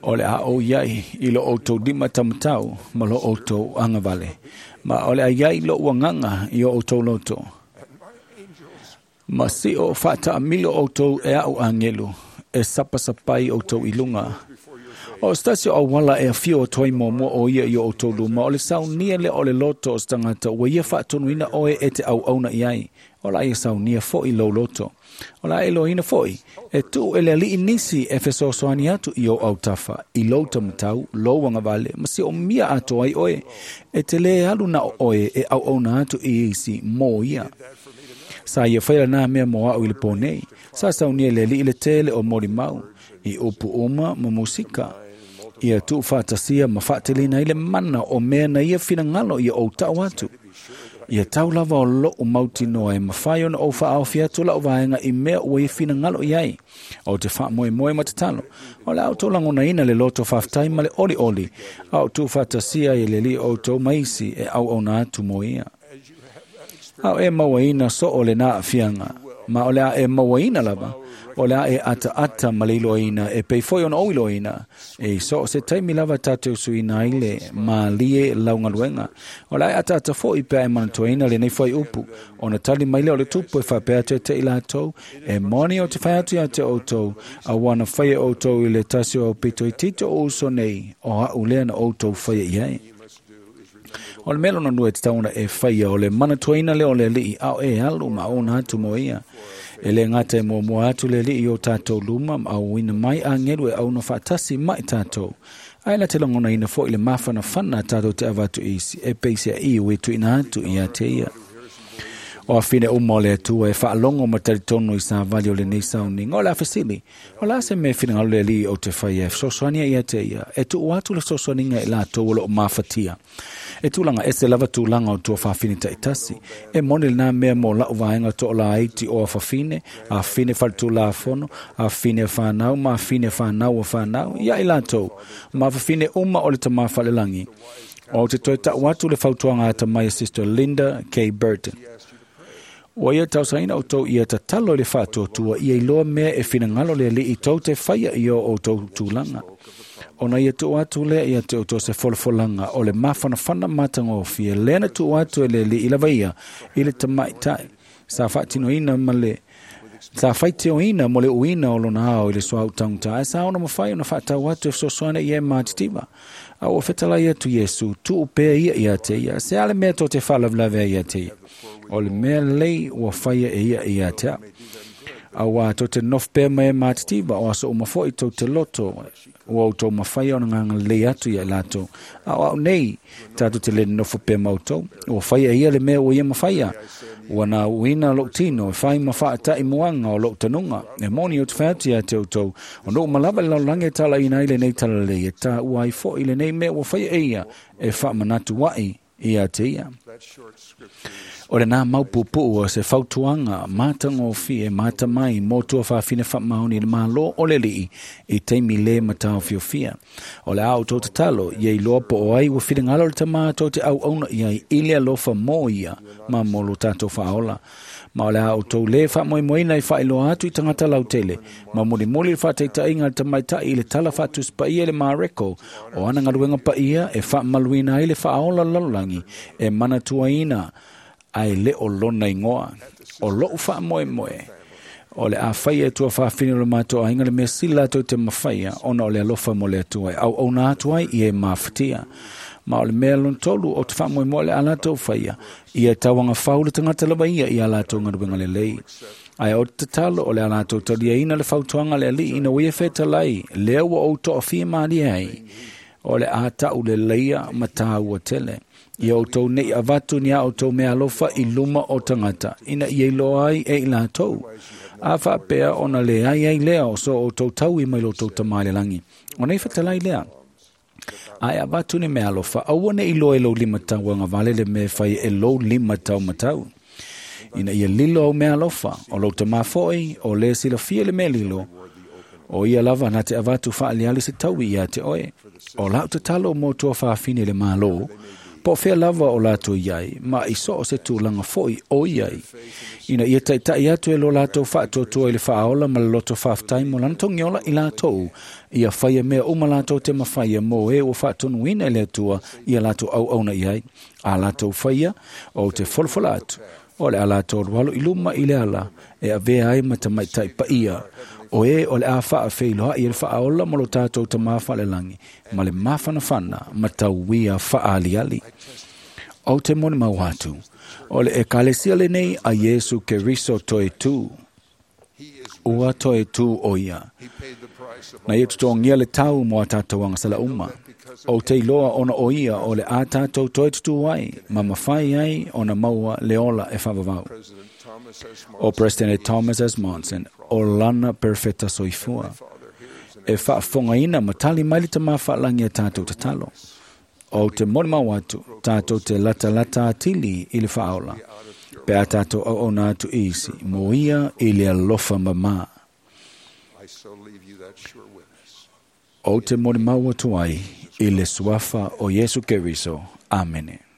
O le a ou iai i lo outou lima taumatau ma lo outou agavale, ma o le a iai loʻu agaga i o outou loto. Ma sio faataamilo outou e aʻu agelu, e sapasapai outou i luga. O se tasi o auala e afio atu ai muamua o ia i o outou luma, o le saunia lea o le loto o se tagata ua ia faatonuina oe e te auauna i ai. O la ia saunia foʻi lou loto. O la e iloaina foʻi, e tuu e le Alii nisi e fesoasoani atu i ou autafa, i lou taumatau, lou agavale, ma siomia atoa ai oe. E te lē alu na o oe e auauna atu i isi mo ia. Sa ia faia lenā mea mo aʻu i le pō nei. Sa saunia le Alii le tele o molimau, i upu uma ma musika. Ia tuufaatasia ma faateleina ai le mana o mea na ia finagalo ia ou taʻu atu. Ia tau lava o loʻu mautinoa e mafai ona ou faaofi atu laʻu vaega i mea ua ia finagalo i ai. Ou te faamoemoe ma tatalo. O le a outou lagonaina le loto faafetai ma le olioli, a o tuufaatasia ai e le Alii outou ma isi e auauna atu mo ia. A o e mauaina soo lenā aafiaga, ma o le a e mauaina lava, o le a e ataata ma le iloaina e pei foʻi ona ou iloaina. E so o se taimi lava tatou suiina ai le mālie laugaluega. O le a e ataata foʻi pe a e manatuaina lenei fuaiupu, ona tali mai lea o le Tupu e faapea atu e te i latou, e moni ou te fai atu ia te outou, auā na faia e outou i le tasi o aupito itiiti o uso nei, o aʻu lea na outou faia i ai. O le mea lona lua e tatau ona e faia, o le manatuaina lea o le Alii, a o e alu ma auauna atu mo ia. E lē gata e muamua atu le Alii i o tatou luma ma auina mai agelu e auauna faatasi ma i tatou. Ae na te lagonaina foʻi le mafanafana tatou te avatu i isi, e peiseaʻi ua e tuuina atu ia te ia. O afine uma o le Atua e faalogo ma talitonu i savali o lenei sauniga. O le a fesili, o le a se mea e finagalo le Alii ou te faia e fesoasoani ai ia te ia, e tuu atu le fesoasoaniga i latou o loo mafatia. E tulaga ese lava tulaga o tuafafine taʻitasi. E moni lenā mea mo laʻu vaega toʻalaiti o afafine, afine faletulafono, afine fanau ma afine fanau o fanau, ia i latou, ma afafine uma o le tamā falelagi. Ou te toe taʻu atu le fautuaga atamai a Sister Linda K. Burton. Ua ia tausagaina outou ia tatalo i le faatuatua ia iloa mea e finagalo le Alii tou te faia i o outou tulaga. Ona ia tuu atu lea ia te outou se folafolaga o le mafanafana matagofie lea na tuu atu e le Alii lava ia i le tamaʻitaʻi. Sa faatinoina ma le sa faitioina mo le uina o lona ao i le soa utaugata, ae sa ona mafai ona faatau atu e fesoasoani i e matitiva. A ua fetalai atu Iesu, tuu pea ia ia te ia, se a le mea tou te faalavelave ai ia te ia. O le mea lelei ua faia e ia ia te au. Auā tou te nofo pea ma e matitiva, o aso uma foʻi tou te loto, ua outou mafaia ona gagalelei atu ia i latou. A o au nei, tatou te le nofo pea ma outou. Ua faia e ia le mea ua ia mafaia. Ua na uina lou tino e fai ma faataʻi muaga o lou tanuga. E moni ou te fai atu ia te outou, ona uma lava le lalolagi e talaina ai lenei talalelei, e taua ai foʻi lenei mea ua faia e ia, e faamanatu aʻi ia te ia. O lenā mau puupuu o se fautuaga matagofie matamai mo tuafafine faamaoni i le Mālō o le Alii i taimi lē mataofiofia. O le a outou tatalo, ia iloa po o ai ua finagalo le Tamā tou te auauna i ai i le alofa mo ia ma mo lo tatou faaola. Ma o le a outou lē faamoemoeina i faailoa atu i tagata lautele, ma mulimuli le faataitaiga a le tamaitai i le tala faatusi paia i le Mareko o ana galuega paia e faamaluina ai le faaola lalolagi e manatuaina ae le o lona igoa. O lou faamoemoe, o le a faia e tuafafine o le matou aiga le mea sili latou te mafaia ona o le alofa mo le Atua e auauna atu ai i e mafatia. Ma o le mea lona tolu o te faamoemoe le a latou faia, ia tauagafau le tagata lava ia i a latou galuega lelei. Ae o te tatalo o le a latou taliaina le fautuaga a le Alii ina ua ia fetalai, lea ua ou toafia malie ai, o le a tau leleia ma tāua tele. Ia outou nei avatu ni a outou mea alofa i luma o tagata, ina ia iloa ai e i latou. A faapea ona leai ai lea o so outou taui mai lo outou Tamā i le lagi. O nei fetalai lea, ae avatu ni mea alofa, aua ne i iloa e lou lima tauagavale le mea e fai e lou lima taumatau. Ina ia lilo au mea alofa, o lou Tamā foʻi, o le silafia le mea lilo, o ia lava na te avatu faaliali se taui ia te oe. O lau tatalo mo tuafafine i le Mālō, po o fea lava o latou i ai, ma i so o se tulaga foʻi o i ai. Ina ia taitaʻi atu e lo latou faatuatua i le faaola ma le loto faafetai mo lana togiola i latou, ia faia mea uma latou te mafaia mo e ua faatonuina e le Atua ia latou auauna i ai. A latou faia, ou te folafola atu, o le a latou alualu i luma i le ala e avea ai ma tamaitai paia, o e o le a faafeiloai e le faaola mo lo tatou Tamā faalelagi, ma le mafanafana ma tauia faaaliali. Ou te molimau atu, o le ekalesia lenei a Iesu Keriso toe tū. Ua toe tū o ia. Na ia totogia le tau mo a tātou agasala uma. Ou te iloa ona o ia o le a tātou toe tutū ai, ma mafai ai ona maua le ola e faavavau. O President Thomas S. Monson, o lana perfeta soifua. E faafogaina ma tali mai le Tamā faalagi a tātou tatalo. Ou te molimau atu, tātou te latalata atili i le faaola. Pe a tātou auauna atu i isi, mo ia i le alofa mamā. Ou te molimau atu ai i le suafa o Iesu Keriso. Amene. Amen.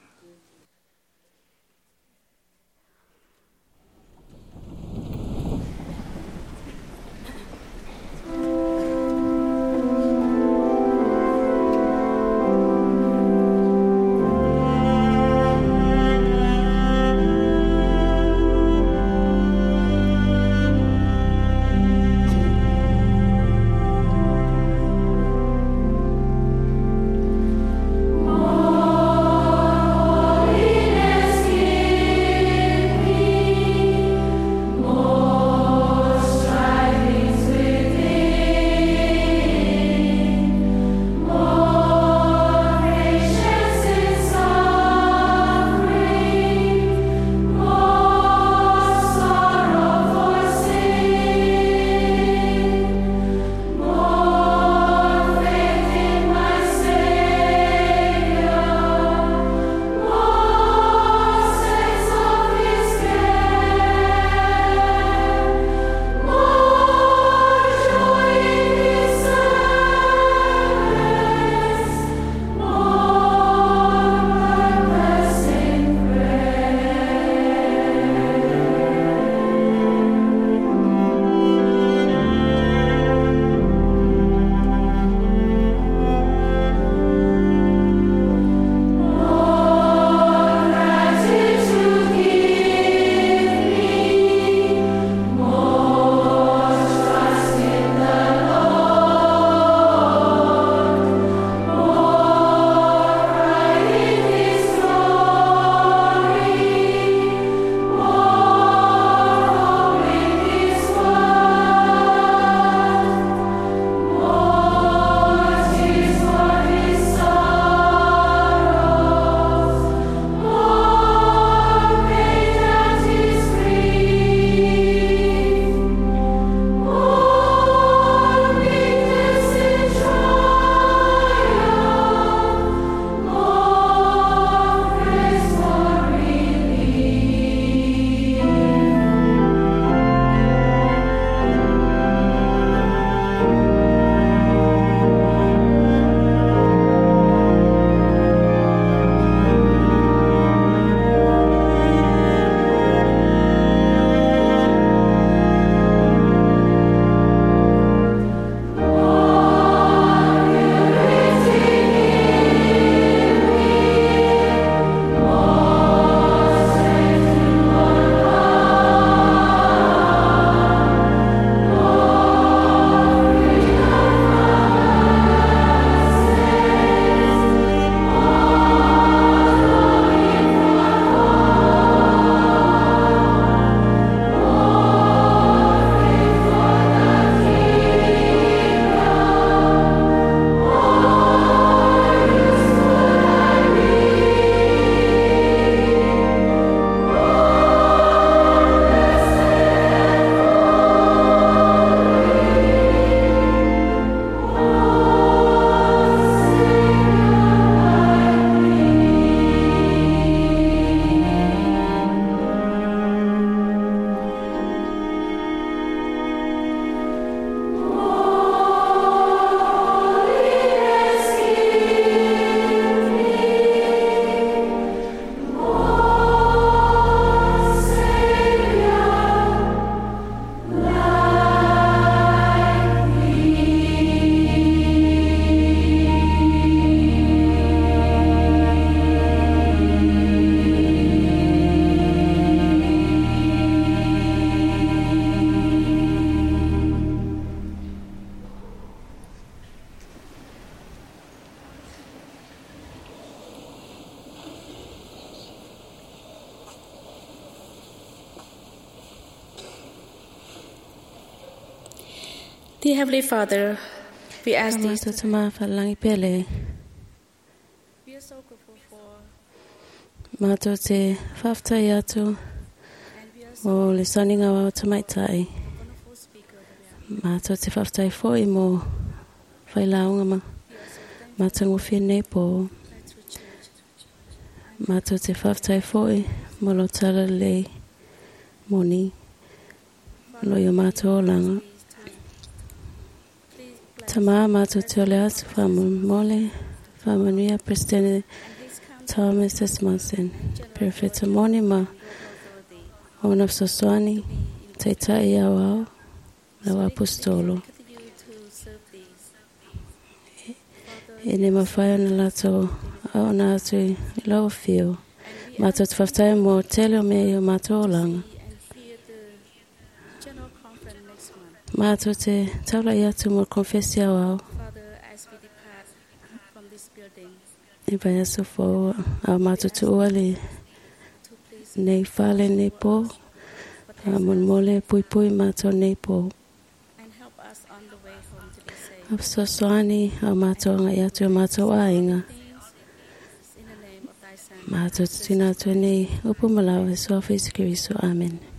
Dear Heavenly Father, we ask these Matou Tama whalangi pele. We are so grateful for Mātou te whaftai atu mo le sauniga o tamaitai. Mātou te whaftai foi mo whailaunga ma matangofie nei po. Mātou te whaftai foi mo lo tala lei moni lo i o mātou olanga. Tama mātou te ole atu whamole whamanuia President Thomas Desmondson. Perfecto moni ma ona fesoasoani taitai au ao lau apostolo. E ne mawhai ona lato au ona atu i lau whio. Mātou te whaftai mō tele o mea i o mātou olanga. General Conference next month. Mātou te taula i atu mō konfesi au ao. Father, as we depart from this building, I vai aso fō au mātou tu ua le nei whale nei pō. A monmole pui pui mātou nei pō. and help us on the way home to be safe. A fesoasoani au mātou anga i atu o mātou āinga. In the name of thy Son, Mātou te tuna atu nei upu malawa e soa whisi kiriso. Amen.